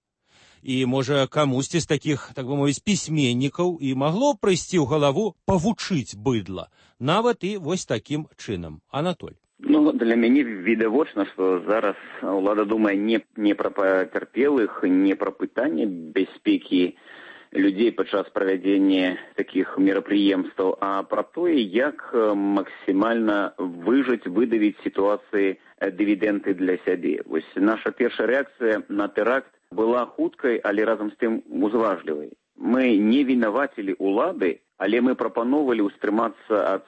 І, можа, камусьці з такіх, так бы мовіць, пісьменнікаў і магло прыйсці ў галаву павучыць быдла, нават і вось такім чынам. Анатоль. Ну, для мяне відавочна, што зараз ўлада думае не, не пра пацярпелых, не пра пытанне бяспекі людзей падчас правядзення такіх мерапрыемстваў, а пра тое, як максімальна выжыць, выдавіць сітуацыі дывідэнды для сябе. Вось наша першая рэакцыя на тэракт была хуткай, але разам з тым узважлівай. Мы не вінавацілі ўлады, але мы прапановвалі ўстрымацца ад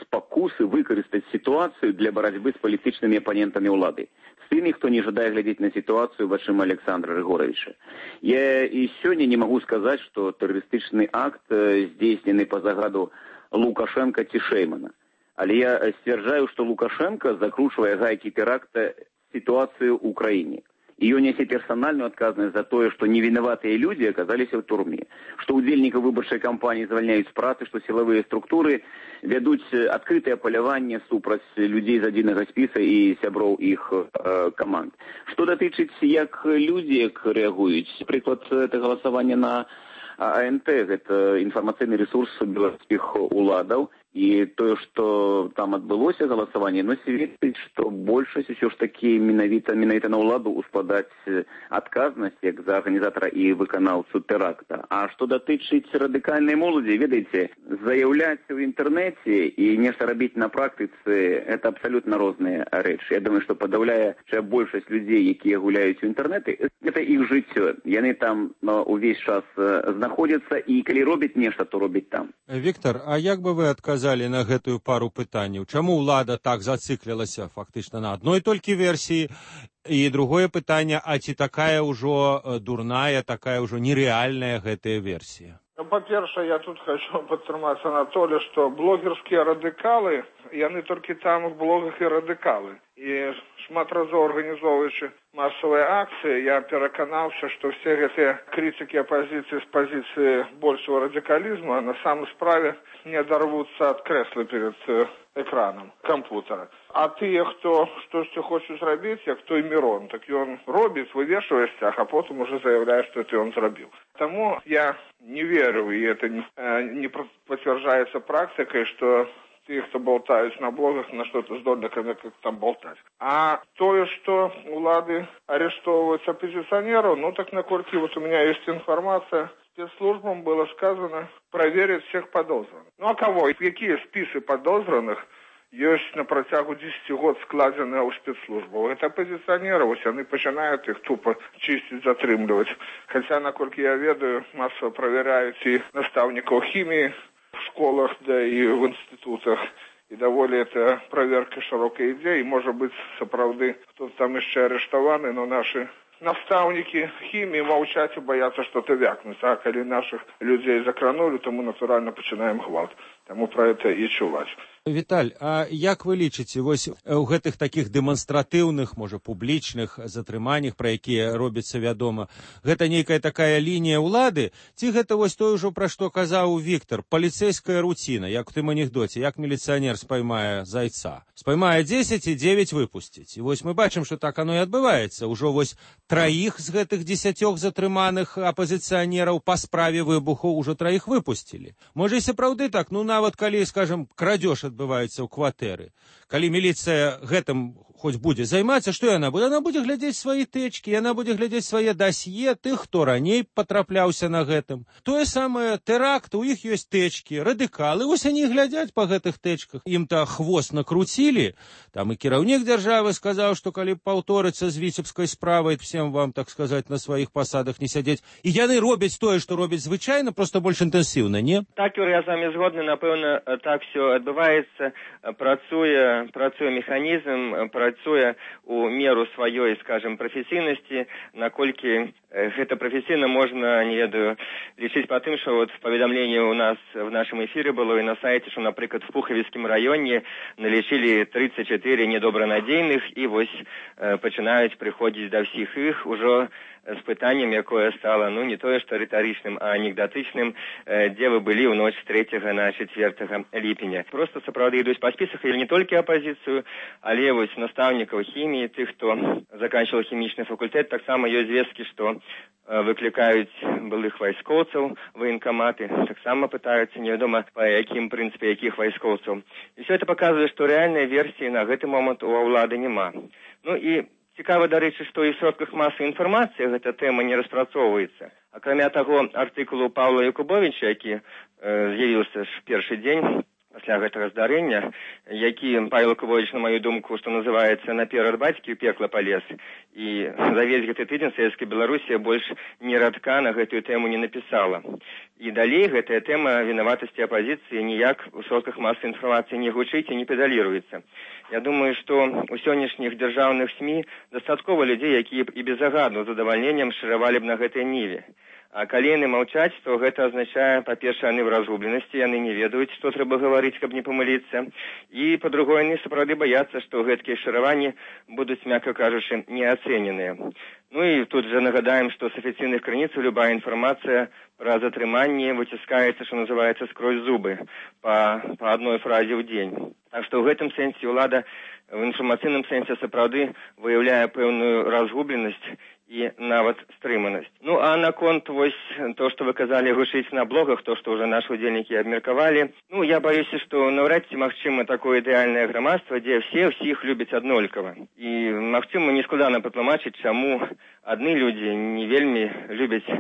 спакусы выкарыстаць сітуацыю для барацьбы з палітычнымі апанентамі ўлады. З тымі, хто не жадае глядзець на сітуацыю вачыма Александра Григоровича. Я і сёння не магу сказаць, што тэрарыстычны акт здзейснены па загаду Лукашенка ці Шеймана. Але я сцвярджаю, што Лукашенко закручвае гайкі тэракта сітуацыю ў краіне. І ён нясе персанальную адказнасць за тое, што невінаватыя людзі аказаліся ў турме, што ўдзельнікаў выбарчай кампаніі звальняюць з працы, што сілавыя структуры вядуць адкрытае паляванне супраць людзей з адзінага спіса і сяброў іх э, каманд. Што датычыць, як людзі як рэагуюць, прыклад, это галасаванне на А Н Т, гэта інфармацыйны рэсурс беларускіх уладаў, і тое, што там адбылося галасаванне, но сведчыць, што большасць усё ж такі менавіта менавіта на ўладу успадаць адказнасць як за арганізатара і выканаўцу тэракта. А што датычыць радыкальнай моладзі, ведаеце, заяўляць у інтэрнэце і нешта рабіць на практыцы, это абсалютна розныя рэчы. Я думаю, што падаўляючая большасць людзей, якія гуляюць у інтэрнэты, гэта іх жыццё. Яны там no, увесь час знаходзяцца, і калі робяць нешта, то робяць там. Віктор, а як бы вы адказалі на гэтую пару пытанняў? Чаму ўлада так зациклілася фактычна на адной толькі версіі? І другое пытанне, а ці такая ўжо дурная, такая ўжо нереальная гэтая версія? Ну, па-першае, я тут хочу падтрымаць Анатолія, што блогерскія радыкалы, яны толькі там у блогах і радыкалы. І шмат разоў арганізоўваючы масавыя акцыі, я пераканаўся, што все гэтыя крытыкі апазіцыі з пазіцыі большого радыкалізму на самой справе не адарвуцца ад крэсла перед экраном кампутера. А тыя, хто штосьці хочуць зрабіць, як той Мірон, так ён робіць, вывешвае сцяг, а потым уже заяўляе, што это ён зрабіў. Таму я не верю, і это не, не пацвярджаецца практыкай, што те, кто болтают на блогах, на что-то здольны, как там болтать. А то, что улады арестовывают оппозиционеров, ну так накольки вот у меня есть информация, спецслужбам было сказано проверить всех подозренных. Ну а кого? Какие списки подозренных есть на протягу десяти год складены у спецслужбаў? Это оппозиционеры, вот они начинают их тупо чистить, затрымливать. Хотя, накольки я ведаю, массово проверяют и наставников химии в школах, да и в институтах. И даволі это проверка широкой идеи. Может быть, сапраўды, кто-то там еще арештованы, но наши наставники химии молчать и боятся что-то вякнуть. А коли наших людей закранули, то мы натурально починаем гвалт. Таму про это и чуваць. Віталь, а як вы лічыце, вось у гэтых такіх дэманстратыўных, можа, публічных затрыманнях, пра якія робіцца вядома, гэта нейкая такая лінія ўлады, ці гэта вось тое ўжо, пра што казаў Віктор, паліцэйская руціна, як у тым анекдоце, як міліцыянер спаймае зайца. Спаймае дзесяць і дзевяць выпусціць. І вось мы бачым, што так оно і адбываецца. Ужо вось траіх з гэтых дзесяцёх затрыманых апазіцыянераў па справе выбуху ўжо траіх выпусцілі. Можа, і сапраўды так, ну, нават калі, скажем, крадзеж адбываецца ў кватэры, калі міліцыя гэтым хоць будзе займацца, што яна будзе? Яна будзе глядзець свае тэчкі, яна будзе глядзець свае дасье тых, хто раней патрапляўся на гэтым. Тое самае тэракт, у іх ёсць тэчкі, радыкалы, вось они глядзяць па гэтых тэчках. Ім-то хвост накруцілі, там і кіраўнік дзяржавы сказаў, што калі паўторыцца з віцебскай справай, всем вам, так сказаць, на сваіх пасадах не сядзець. І яны робяць тое, што робяць звычайна, просто больш інтэнсіўна, не? Так, Юрий, я з вами згодны, напэўна, так все адбываецца, працуе, працуе механізм, працуе у меру сваёй, скажем, прафесійнасці, наколькі гэта прафесійна можна, не ведаю, лічыць па тым, што вот паведамленне у нас в нашым эфіры было і на сайце, што, напрыклад, в Пухавіцкім раёне налічылі тридцать четыре недобранадзейных і вось э, пачынаюць прыходзіць да ўсіх іх ужо з пытаннем, якое стало, ну, не тое, што рытарычным, а анекдатычным, э, дзе вы былі ў ноч з трэцяга на чацвёртага ліпеня. Просто, сапраўды, ідуць па спісах, і не толькі апазіцыю, але вось настаўнікаў хіміі, тых, хто заканчиваў хімічны факультэт, таксама ёсць звесткі, што э, выклікаюць былых вайскоўцаў, военкаматы, таксама пытаюцца, невядома, па якім прынцыпе якіх вайскоўцаў. І все это паказвае, што рэальнай версіі на гэты момант у ўлады няма. Ну і цікава, дарэчы, што і ў сродках масавай інфармацыі гэта тэма не распрацоўваецца. Акрамя таго, артыкулу Паўла Якубовіча, які э, з'явіўся ж першы дзень пасля гэтага здарэння, які Павел Якубович, на мою думку, што называецца, наперад бацькі ў пекла палез, і за весь гэты тыдзень савецкая Беларусія больш ні радка на гэтую тэму не напісала. І далей гэтая тэма вінаватасці апазіцыі ніяк у сродках масавай інфармацыі не гучыць і не педаліруецца. Я думаю, што у сённяшніх дзяржаўных СМІ дастаткова людзей, якія б і без загаду з задавальненнем шыравалі б на гэтай ніве. А калі яны маўчаць, то гэта азначае, па-першае, яны в разгубленасці, яны не ведаюць, што трэба гаварыць, каб не памыліцца. І, па-другое, яны сапраўды баяцца, што гэткія шыраванні будуць, мякка кажучы, неацэненыя. Ну і тут же нагадаем, што з афіцыйных крыніцаў любая інфармацыя пра затрыманне выціскаецца, што называецца, скрозь зубы, па, па адной фразе ў дзень. Так што ў гэтым сэнсе ўлада в інфармацыйным сэнсе сапраўды выяўляе пэўную разгубленасць і нават стрыманасць. Ну, а наконт вось то, што вы казалі, гучыць на блогах, то, што ўжо нашы удзельнікі абмеркавалі, ну, я баюся, што наўрад ці магчыма такое ідэальнае грамадства, дзе все ўсіх любяць аднолькава. І, магчыма, нескладана патлумачыць, чаму адны людзі не вельмі любяць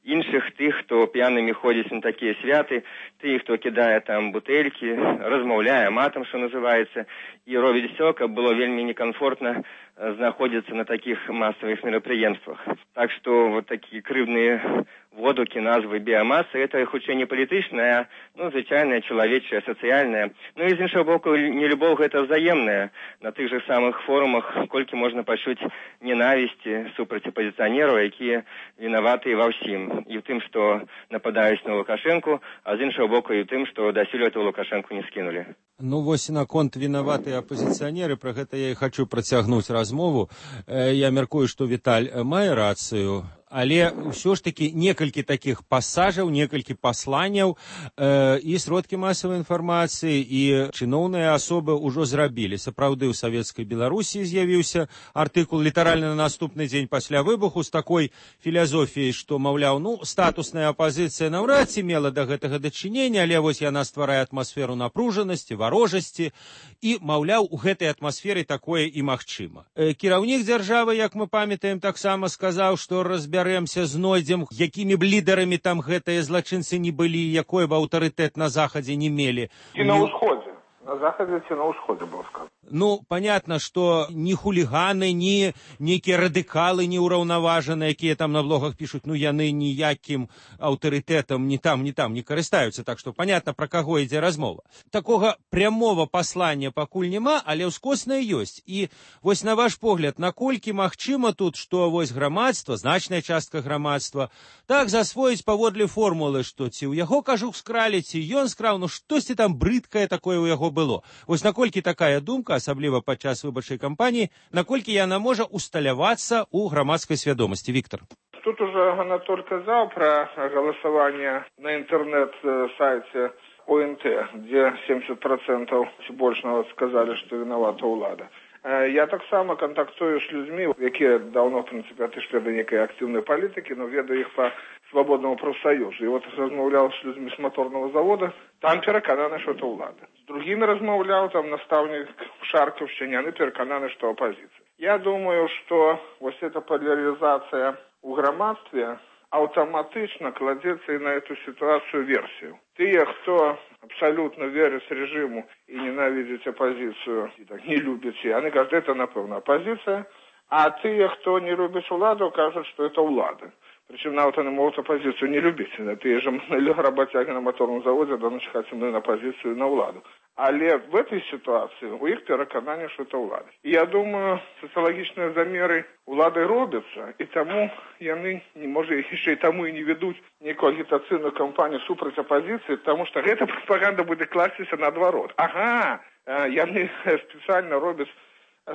іншых, тых, хто п'янымі ходзіць на такія святы, тых, хто кідае там бутэлькі, размаўляе матам, што называецца, і робіць все, каб было вельмі некамфортна знаходзіцца на такіх масавых мерапрыемствах. Так што вот такія крыўдныя водукі, назвы біямасы, это хутчэй не палітычная, ну, звычайная, чалавечая, сацыяльная. Ну і з іншага боку, нелюбоў гэта взаемная. На тых жа самых форумах колькі можна пачуць ненавісці супраць апазіцыянераў, якія вінаватыя ва ўсім. І ў тым, што нападаюць на Лукашэнку, а з іншага боку і ў тым, што дасюль этого Лукашэнку не скінулі. Ну, вось наконт вінаватыя апазіцыянеры, пра гэта я і хачу працягнуць размову. Я мяркую, што Віталь мае рацыю, але ўсё ж такі некалькі такіх пасажаў, некалькі пасланняў э, і сродкі масавай інфармацыі, і чыноўныя асобы ўжо зрабілі. Сапраўды, ў савецкай Беларусі з'явіўся артыкул літаральна на наступны дзень пасля выбуху з такой філазофіяй, што, маўляў, ну, статусная апазіцыя наўрад ці мела да гэтага дачынення, але вось яна стварае атмасферу напружанасці, варожасці, і, маўляў, у гэтай атмасферы такое і магчыма. Э, кіраўнік дзяржавы, як мы памятаем, таксама сказаў, што разбярэмся, знойдзем, якімі б лідарамі там гэтыя злачынцы не былі, якой бы аўтарытэт на Захадзе не мелі. І на ўсходзе. На Захадзе ці на ўсходзе было сказано. Ну, понятно, что ни хулиганы, ни некие радикалы неураўнаважаныя, якія там на блогах пишут, ну, яны ніякім аўтарытэтам ни там, ни там не карыстаюцца. Так что понятно, про каго ідзе размова. Такога прямого послання пакуль няма, але ўскоснае ёсць. І вось на ваш погляд, наколькі магчыма тут, што вось грамадства, значная частка грамадства, так засвоіць паводле формулы, што ці ў яго кажух скралі, ці ён скраў, ну штосьці там брыдкае такое ў яго было. Вось наколькі такая думка, асабліва падчас выбарчай кампаніі, наколькі яна можа усталявацца ў грамадскай свядомасці. Віктор. Тут уже Анатоль казаў про голосование на интернет-сайте ОНТ, где семьдесят процентов больше сказали, что виновата улада. Я таксама кантактую з людзьмі, якія даўно, в прынцыпе, адышлі да некай актыўнай палітыкі, но ведаю іх па свабоднаму прафсаюзу. І вот размаўляў з людзьмі з моторного завода, там перакананы, што это ўлада. З другімі размаўляў, там настаўнік Шаркаўшчыне, яны перакананы, што апазіцыя. Я думаю, што вось эта поляризация ў грамадстве аўтаматычна кладзецца і на эту сітуацыю версію. Тыя, хто абсолютно верыць режиму и ненавидеть оппозицию, и так не любит, они говорят, это, напевно, оппозиция, а те, кто не любит владу, кажут, что это влада. Причем навіть вони можуть опозицію не любити. Ті ж роботяги на моторному заводі до ночі хочуть на опозицію і на владу. Але в этой ситуации у их переконання, что это влада. И я думаю, социологічні заміри влади робляться, і тому вони, може, ще й тому і не ведуть ніяку агітаційну кампанію супроть опозиції, тому що эта пропаганда буде кластися наоборот. Ага, вони спеціально роблять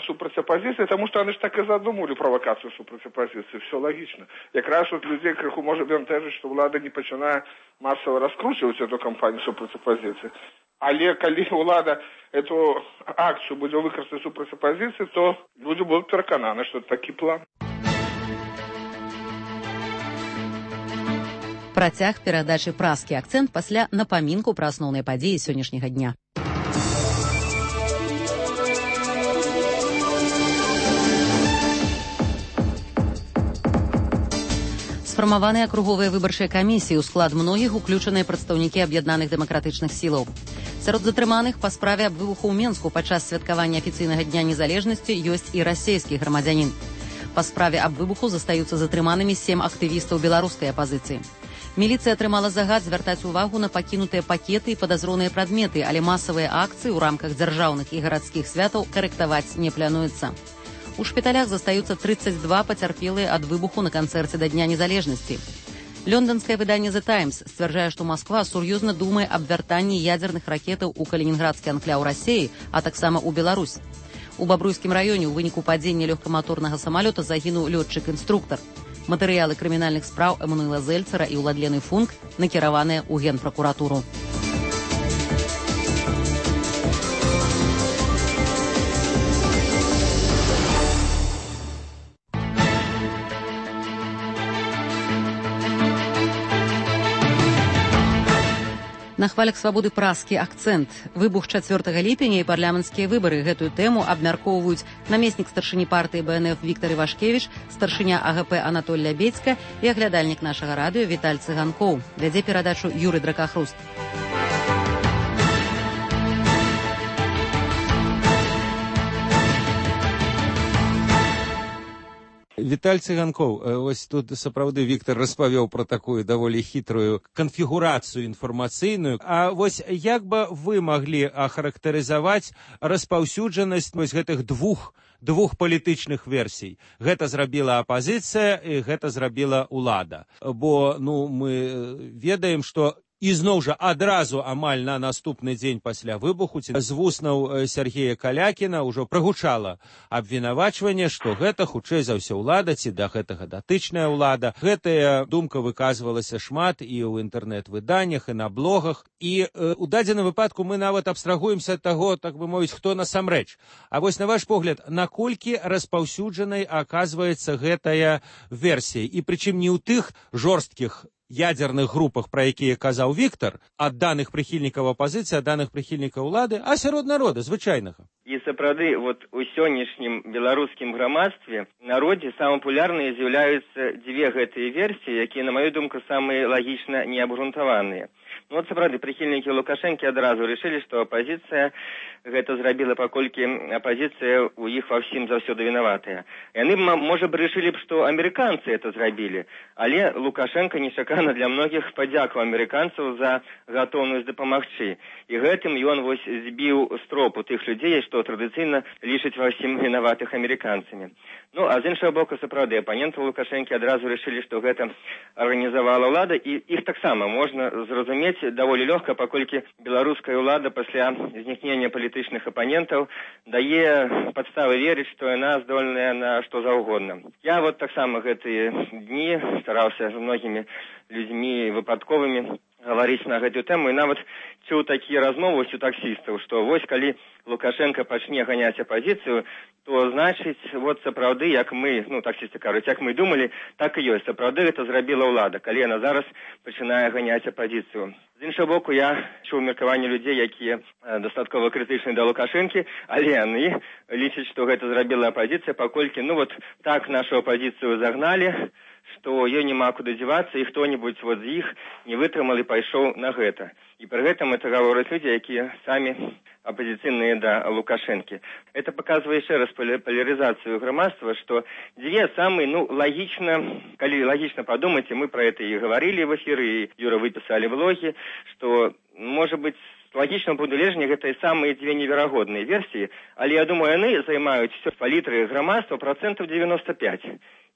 супроть оппозиции, потому что они же так и задумали провокацию супроть оппозиции. Все логично. Якраз от людей криху може бентежить, что влада не починає массово раскручивать эту кампанию супроть оппозиции. Але коли влада эту акцию буде використати супроть оппозиции, то люди будут переконані, что это такий план. Працяг перадачы «Праскі акцэнт» пасля напамінку пра асноўныя падзеі сённяшняга дня. Сфармаваныя акруговыя выбарчыя камісіі, у склад многіх уключаныя прадстаўнікі аб'яднаных дэмакратычных сілаў. Сярод затрыманых па справе аб выбуху ў Менску падчас святкавання афіцыйнага дня незалежнасці ёсць і расійскі грамадзянін. Па справе аб выбуху застаюцца затрыманымі сем актывістаў беларускай апазіцыі. Міліцыя атрымала загад звяртаць увагу на пакінутыя пакеты і падазроныя прадметы, але масавыя акцыі ў рамках дзяржаўных і гарадскіх святаў карэктаваць не плануецца. У шпіталях застаюцца тридцать два пацярпелыя ад выбуху на канцэрце да Дня незалежнасці. Лёнданскае выданне «The Times» сцвярджае, што Масква сур'ёзна думае аб вяртанні ядзерных ракетаў у калінінградскі анкляў Расіі, а таксама ў Беларусь. У Бабруйскім раёне ў выніку падзення лёгкаматорнага самалёта загінуў лётчык-інструктар. Матэрыялы крымінальных спраў Эммануэла Зельцера і Уладлены Функ накіраваныя ў Генпракуратуру. На хвалях свабоды «Праскі акцэнт». Выбух чацвёртага ліпеня і парламенцкія выбары. Гэтую тэму абмяркоўваюць намеснік старшыні партыі Бэ Эн Эф Віктар Івашкевіч, старшыня А Гэ Пэ Анатоль Лябедзька і аглядальнік нашага радыё Віталь Цыганкоў. Вядзе перадачу Юрый Дракахруст. Віталь Цыганкоў, ось тут сапраўды Віктар распавёў пра такую даволі хітрую канфігурацыю інфармацыйную. А вось як бы вы маглі ахарактарызаваць распаўсюджанасць вось гэтых двух двух палітычных версій? Гэта зрабіла апазіцыя і гэта зрабіла ўлада. Бо ну мы ведаем, што ізноў жа адразу амаль на наступны дзень пасля выбуху з вуснаў Сергея Калякіна ўжо прагучала абвінавачванне, што гэта хутчэй за ўсё ўлада ці да гэтага датычная ўлада. Гэтая думка выказвалася шмат і ў інтэрнэт-выданнях, і на блогах. І э, у дадзеным выпадку мы нават абстрагуемся ад таго, так бы мовіць, хто насамрэч. А вось на ваш погляд, наколькі распаўсюджанай аказваецца гэтая версія? І прычым не ў тых жорсткіх ядерных групах, про якія казаў Віктар, ад даных прыхільнікаў апазіцыі, ад даных прыхільнікаў улады, а сярод народа звычайнага. І сапраўды, вот у сённяшнім беларускім грамадстве народзе самыя папулярныя з'яўляюцца дзве гэтыя версіі, якія, на маю думку, самыя лагічна неабгрунтаваныя. Ну вот сапраўды, прыхільнікі Лукашэнкі адразу рашылі, што апазіцыя гэта зрабіла, паколькі апазіцыя у іх ва ўсім заўсёды вінаватая. Яны, можа б, рашылі б, што амерыканцы это зрабілі, але Лукашенко нечакана для многіх падзякаў амерыканцаў за гатоўнасць дапамагчы. І гэтым ён вось збіў з тропу тых людзей, што традыцыйна лічаць ва ўсім вінаватых амерыканцамі. Ну, а з іншага боку, сапраўды, апанентаў Лукашэнкі адразу рашылі, што гэта арганізавала ўлада, і іх таксама можна зразумець даволі лёгка, паколькі беларуская ўлада пасля знікнення палітычных апанентаў дае падставы верыць, што яна здольная на што заўгодна. Я вот таксама гэтыя дні стараўся з многімі людзьмі выпадковымі гаварыць на гэтую тэму, і нават чуў такія размовы у таксістаў, што вось калі Лукашенко пачне ганяць апазіцыю, то значыць, вот сапраўды, як мы, ну, таксісты кажуць, як мы думалі, так і ёсць. Сапраўды гэта зрабіла ўлада, калі яна зараз пачынае ганяць апазіцыю. З іншага боку, я чуў меркаванне людзей, якія дастаткова крытычныя да Лукашэнкі, але яны лічаць, што гэта зрабіла апазіцыя, паколькі, ну, вот так нашу апазіцыю загналі, што ёй няма куды дзівацца, і хто-небудзь вот з іх не вытрымал і пайшоў на гэта. І пры гэтым это гавораць людзі, якія самі апозіцыйныя да Лукашэнкі. Это паказвае яшчэ раз палярызацыю грамадства, што дзве самыя, ну, лагічна, калі лагічна падумаць, мы пра гэта і гаварылі в эфіры, і Юра выпісалі влогі, што, можа быць, з лагічнага пункту гледжання гэта і самыя дзве неверагодныя версіі, але я думаю, яны займаюць все палітры грамадства працэнтаў девяносто пять.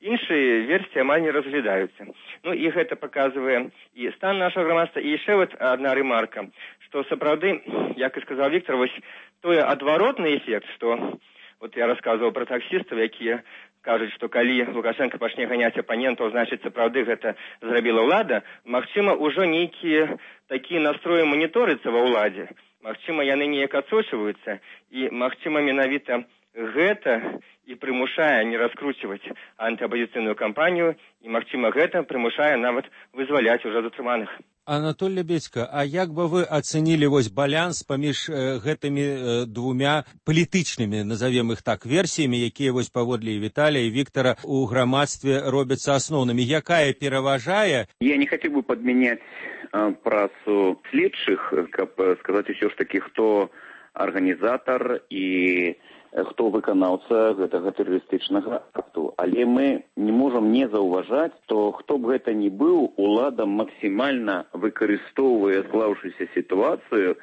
Іншыя версіі амаль не разглядаюцца. Ну і гэта паказвае і стан нашага грамадства. І яшчэ вот адна ремарка, што сапраўды, як і сказаў Віктор, вось той адваротны эфект, што вот я расказваў пра таксістаў, якія кажуць, што калі Лукашенко пачне ганяць апанентаў, значыць сапраўды гэта зрабіла ўлада, магчыма, ужо нейкія такія настроі маніторыцца ва ўладзе. Магчыма, яны неяк адсочваюцца, і магчыма, менавіта гэта і прымушае не раскручваць антыапазіцыйную кампанію, і, магчыма, гэта прымушае нават вызваляць ужо затрыманых. Анатоль Лебедько, а як бы вы ацэнілі вось баланс паміж э, гэтымі э, двумя палітычнымі, назовем их так, версіямі, якія вось паводле Віталія і Віктора у грамадстве робяцца асноўнымі? Якая пераважае? Я не хотел бы подменять э, працу следчых, каб сказаць усё ж таки, хто арганізатар і хто выканаўца гэтага тэрарыстычнага акту. Але мы не можам не заўважаць, то хто б гэта ни быў, улада максімальна выкарыстоўвае склаўшуюся сітуацыю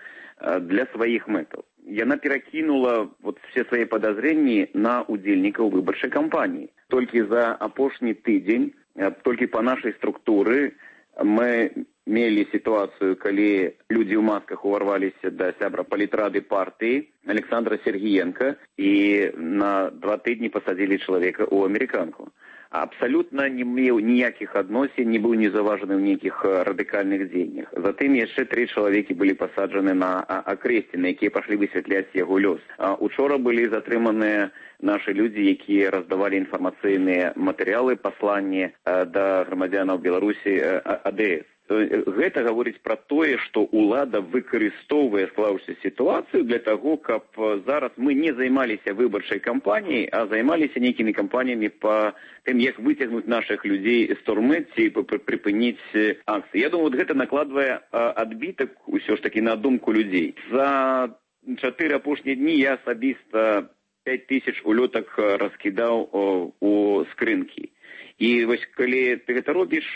для сваіх мэтаў. Яна перакінула вот все свае падазрэнні на удзельнікаў выбарчай кампаніі. Толькі за апошні тыдзень, толькі па нашай структуры мы мелі сітуацыю, калі людзі ў масках уварваліся да сябра палітрады партыі Александра Сергіенка і на два тыдні пасадзілі чалавека ў амерыканку. Абсалютна не меў ніякіх адносін, не быў не заважаны ў нейкіх радыкальных дзеяннях. Затым яшчэ тры чалавекі былі пасаджаны на акрэсціны, якія пашлі высвятляць яго лёс. Учора былі затрыманыя нашы людзі, якія раздавалі інфармацыйныя матэрыялы, пасланні да грамадзянаў Беларусі А Д С. Гэта гаворыць пра тое, што ўлада выкарыстоўвае склаўшуюся сітуацыю для таго, каб зараз мы не займаліся выбарчай кампаніяй, а займаліся нейкімі кампаніямі па тым, як выцягнуць нашых людзей з турмы ці прыпыніць акцыі. Я думаю, вот гэта накладвае адбітак усё ж такі на думку людзей. За чатыры апошнія дні я асабіста пяць тысяч улётак раскідаў у скрынкі. І вось калі ты гэта робіш,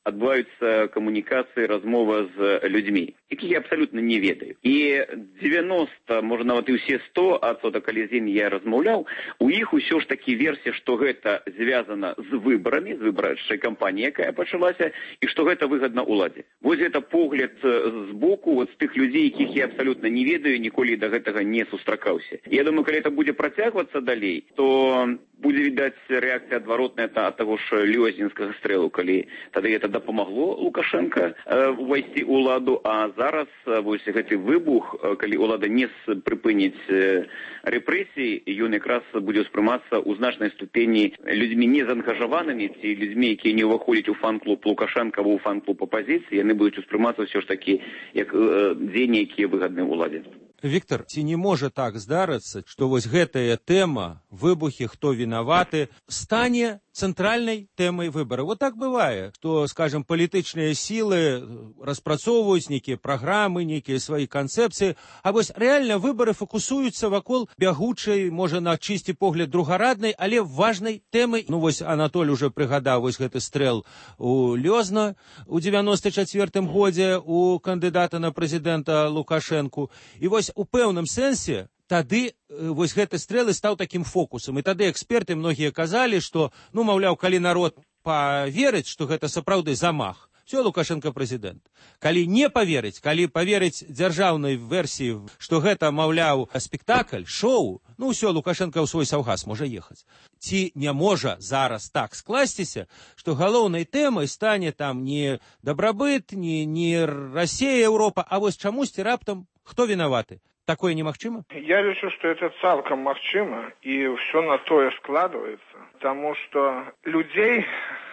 адбываюцца камунікацыі, размова з людзьмі, якіх я абсалютна не ведаю. І девяносто, можа нават і ўсе сто адсоткаў, калі з імі я размаўляў, у іх усё ж такі версія, што гэта звязана з выбарамі, з выбарчай кампаніяй, якая пачалася, і што гэта выгадна ўладзе. Вось гэта погляд з боку вот, з тых людзей, якіх я абсалютна не ведаю, ніколі да гэтага не сустракаўся. Я думаю, калі это будзе працягвацца далей, то будзе відаць рэакцыя адваротная ад таго ж лёзнінскага стрэлу, калі тады гэта дапамагло Лукашенко э, увайсці ў уладу, а зараз э, вось гэты выбух, э, калі ўлада не прыпыніць э, рэпрэсіі, ён якраз будзе ўспрымацца ў значнай ступені людзьмі незаангажаванымі ці людзьмі, якія не ўваходзяць у фан-клуб Лукашенко або ў фан-клуб апазіцыі, яны будуць успрымацца ўсё ж такі як э, дзеянні, якія выгадны ўладзе. Віктор, ці не можа так здарыцца, што вось гэтая тэма, выбухі, хто вінаваты, стане цэнтральнай тэмай выбараў? Вот так бывае, што, скажем, палітычныя сілы распрацоўваюць нейкія праграмы, нейкія свае канцэпцыі, а вось рэальна выбары фокусуюцца вакол бягучай, можа, на чысці погляд другараднай, але важнай тэмы. Ну вось Анатоль уже прыгадаў вось гэты стрэл у Лёзна у девяносто чацвёртым годзе у кандыдата на прэзідэнта Лукашэнку. І вось у пэўным сэнсе тады вось гэты стрэлы стаў такім фокусам. І тады эксперты многія казалі, што, ну, маўляў, калі народ паверыць, што гэта сапраўды замах, Все, Лукашенко прэзідэнт. Калі не паверыць, калі паверыць дзяржаўнай версіі, што гэта, маўляў, спектакль, шоу, ну ўсё, Лукашенко ў свой саўгас можа ехаць. Ці не можа зараз так скласціся, што галоўнай тэмай стане там не дабрабыт, не, не Расія, Еўропа, а вось чамусьці раптам хто вінаваты? Такое немагчыма? Я лічу, што это цалкам магчыма, і ўсё на тое складваецца, таму што людзей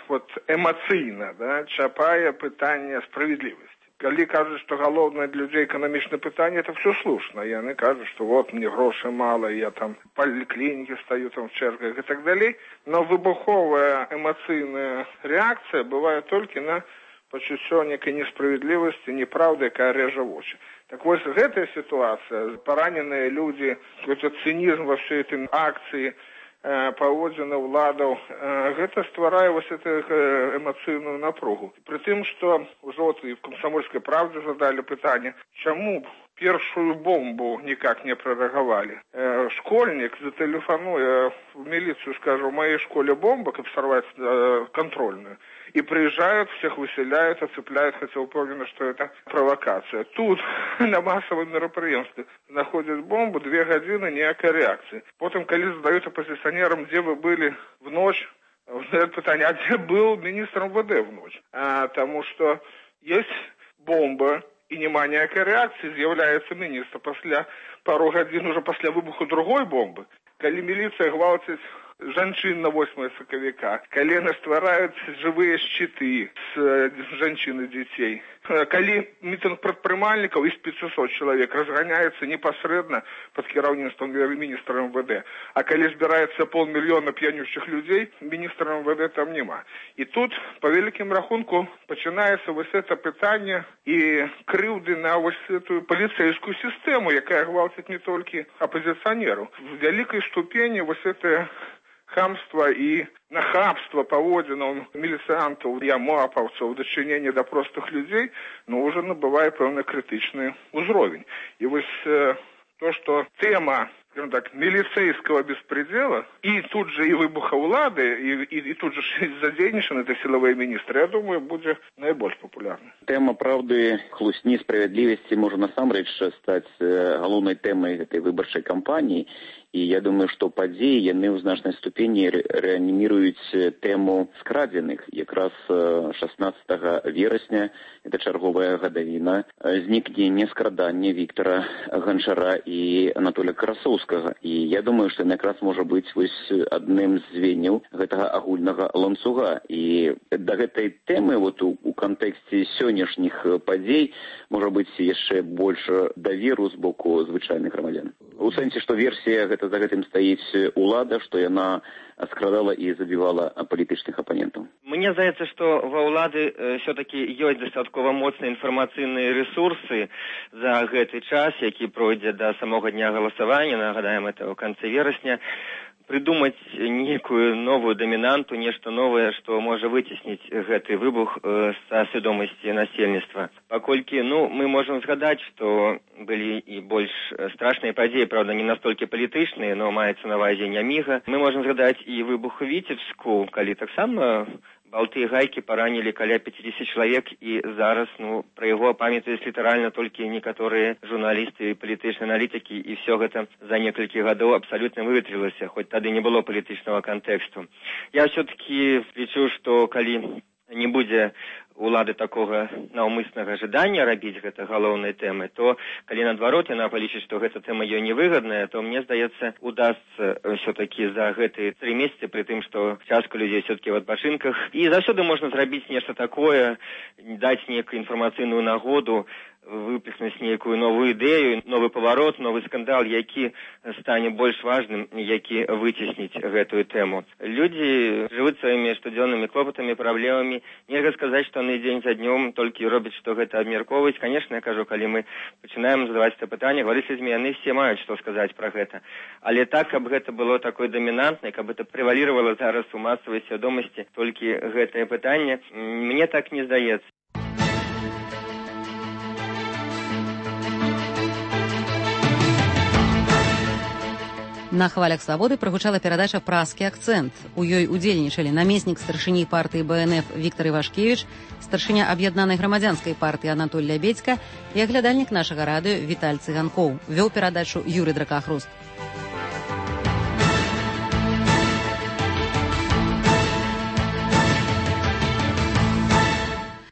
вот эмацыйна, да, чапае пытанне справядлівасці. Калі кажуць, што галоўнае для людзей эканамічнае пытанне, это все слушна. Яны кажуць, што вот мне грошай мала, я там в паліклінікі стаю там в чэргах і так далей. Но выбуховая эмацыйная рэакцыя бывае толькі на пачуццё некай несправядлівасці, неправды, якая рэжа вочы. Так вось гэтая сітуацыя, параненыя людзі, гэты цынізм ва ўсёй этой акцыі, паводзіны ўладаў, гэта стварае вось эту эмацыйную напругу. Пры тым, што ўжо і в «Камсамольскай правдзе» задалі пытанне, чаму першую бомбу никак не прореагировали. Э, школьник зателефонуя в милицию, скажет, в моей школе бомба, как сорвать э, контрольную. И приезжают, всех выселяют, оцепляют, хотя уверены, что это провокация. Тут на массовом мероприятии находят бомбу, две годины, никакой реакции. Потом, когда задают оппозиционерам, где вы были в ночь, задают питание, а где был министр эм вэ дэ в ночь? А, потому что есть бомба, и нема ніякай рэакцыі, з'яўляецца міністр пасля пару гадзін уже пасля выбуху другой бомбы. Калі міліцыя гвалціць жанчын на восьмае сакавіка, калі яны ствараюць жывыя шчыты з жанчын і дзяцей, калі мітынг прадпрымальнікаў і з пяцісот чалавек разганяецца непасрэдна пад кіраўніцтвам міністра эм вэ дэ, а калі збіраецца паўмільёна п'янючых людзей, міністра эм вэ дэ там няма. І тут, па вялікім рахунку, пачынаецца вось гэта пытанне і крыўды на вось эту паліцэйскую сістэму, якая гвалціць не толькі апозіцыянераў. В вялікай ступені вось гэта хамства і нахабства паводзінаў міліцыянтаў і амапаўцаў у дачыненні да простых людзей, ну, уже набывае пэўны крытычны ўзровень. І вось э, то, што тэма, скажем так, милицейского беспредела, и тут же и выбуха улады, и, и, и тут же задейничаны это силовые министры, я думаю, будет наибольш популярна. Тема правды, хлусні, справядлівасці можа насамрэч стаць галоўнай тэмай гэтай выбарчай кампаніі. І я думаю, што падзеі яны ў значнай ступені рэаніміруюць тэму скрадзеных. Якраз шаснаццатага верасня, это чарговая гадавіна, знікнення скрадання Віктара Ганчара і Анатолія Красоўскага. І я думаю, што якраз можа быць вось адным з звенняў гэтага агульнага ланцуга. І да гэтай тэмы вот у, у кантэксце сённяшніх падзей можа быць яшчэ больш даверу з боку звычайных грамадзян. У сэнсе, што версія гэта за гэтым стаіць улада, што яна скрадала і забівала палітычных апанентаў. Мне здаецца, што ва ўлады э, все-таки ёсць дастаткова моцныя інфармацыйныя рэсурсы за гэты час, які пройдзе да самога дня галасавання, нагадаем, это ў канцы верасня, придумаць некую новую дамінанту, нешта новае, што можа выцесніць гэты выбух э, са свядомасці насельніцтва. Паколькі, ну, мы можам згадаць, што былі і больш страшныя падзеі, правда, не настолькі палітычныя, но маецца на ўвазе няміга. Мы можам згадаць і выбух у Віцебску, калі таксама балты і гайкі паранілі каля пяцьдзесят чалавек, і зараз, ну, пра яго памятаюць літаральна толькі некаторыя журналісты і палітычныя аналітыкі, і все гэта за некалькі гадоў абсалютна выветрылася, хоць тады не было палітычнага кантэксту. Я все-таки лічу, што калі не будзе улады такога наўмыснага жадання рабіць гэта галоўнай тэмы, то калі наадварот яна палічыць, што гэта тэма ёй невыгадная, то мне здаецца, удасца все-таки за гэтыя тры месяцы, пры тым, што частка людзей все-таки в адпачынках, і заўсёды можна зрабіць нешта такое, даць некую інфармацыйную нагоду, выпіснуць нейкую новую ідэю, новы паварот, новы скандал, які стане больш важным, які выцесніць гэтую тэму. Людзі жывуць сваімі штодзённымі клопатамі, праблемамі. Нельга сказаць, што яны дзень за днём толькі робяць, што гэта абмяркоўваюць. Канешне, я кажу, калі мы пачынаем задаваць это пытанне, гаварыць з людзьмі, яны все маюць што сказаць пра гэта. Але так, каб гэта было такой дамінантнай, каб гэта прэваліравала зараз у масавай свядомасці толькі гэтае пытанне, мне так не здаецца. На хвалях свабоды прагучала перадача «Праскі акцэнт». У ёй удзельнічалі намеснік старшыні партыі бэ эн эф Віктор Івашкевіч, старшыня аб'яднанай грамадзянскай партыі Анатоль Лябедзька і аглядальнік нашага радыё Віталь Цыганкоў. Вёў перадачу Юрый Дракахруст.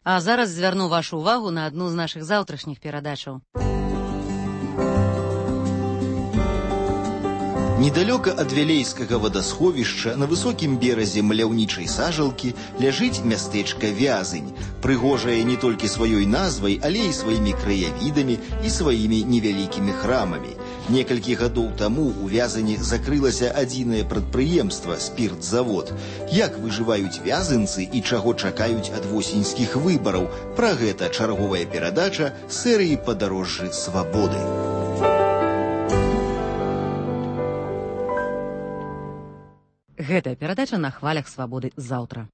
А зараз звярну вашу ўвагу на адну з нашых заўтрашніх перадачаў. Недалёка ад вялейскага вадасховішча на высокім беразе маляўнічай сажалкі ляжыць мястэчка Вязынь, прыгожае не толькі сваёй назвай, але і сваімі краявідамі і сваімі невялікімі храмамі. Некалькі гадоў таму у Вязані закрылася адзінае прадпрыемства спіртзавод. Як выжываюць вязанцы і чаго чакаюць ад восеньскіх выбараў? Пра гэта чарговая перадача серыі «Падарожжы свабоды». Гэтая перадача на хвалях свабоды заўтра.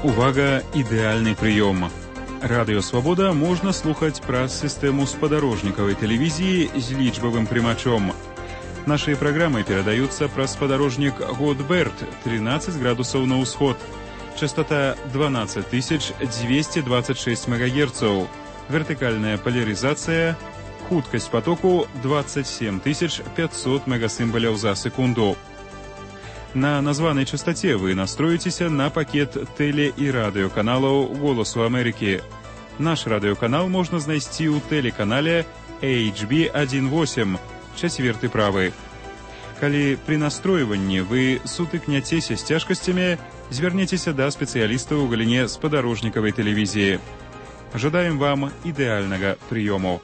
Увага, ідэальны прыём. Радыё «Свабода» можна слухаць праз сістэму спадарожнікавай тэлевізіі з лічбавым прымачом. Нашыя праграмы перадаюцца праз спадарожнік Годберт, тринадцать градусаў на ўсход. Частота дванадцать тысяч двести двадцать шесть мегагерцаў. Вертикальная поляризация, хуткость потоку двадцать семь тысяч пятьсот мегасимволяў за секунду. На названной частоте вы настроитесь на пакет теле- и радиоканалаў «Голосу Америки». Наш радиоканал можно знайсці ў телеканале эйч би один восемь, чацверты правы. Калі при настройванні вы сутыкняцеся з цяжкасцямі, звярніцеся да спецыялістаў у галіне спадарожнікавай тэлевізіі. Жадаем вам ідэальнага прыёму.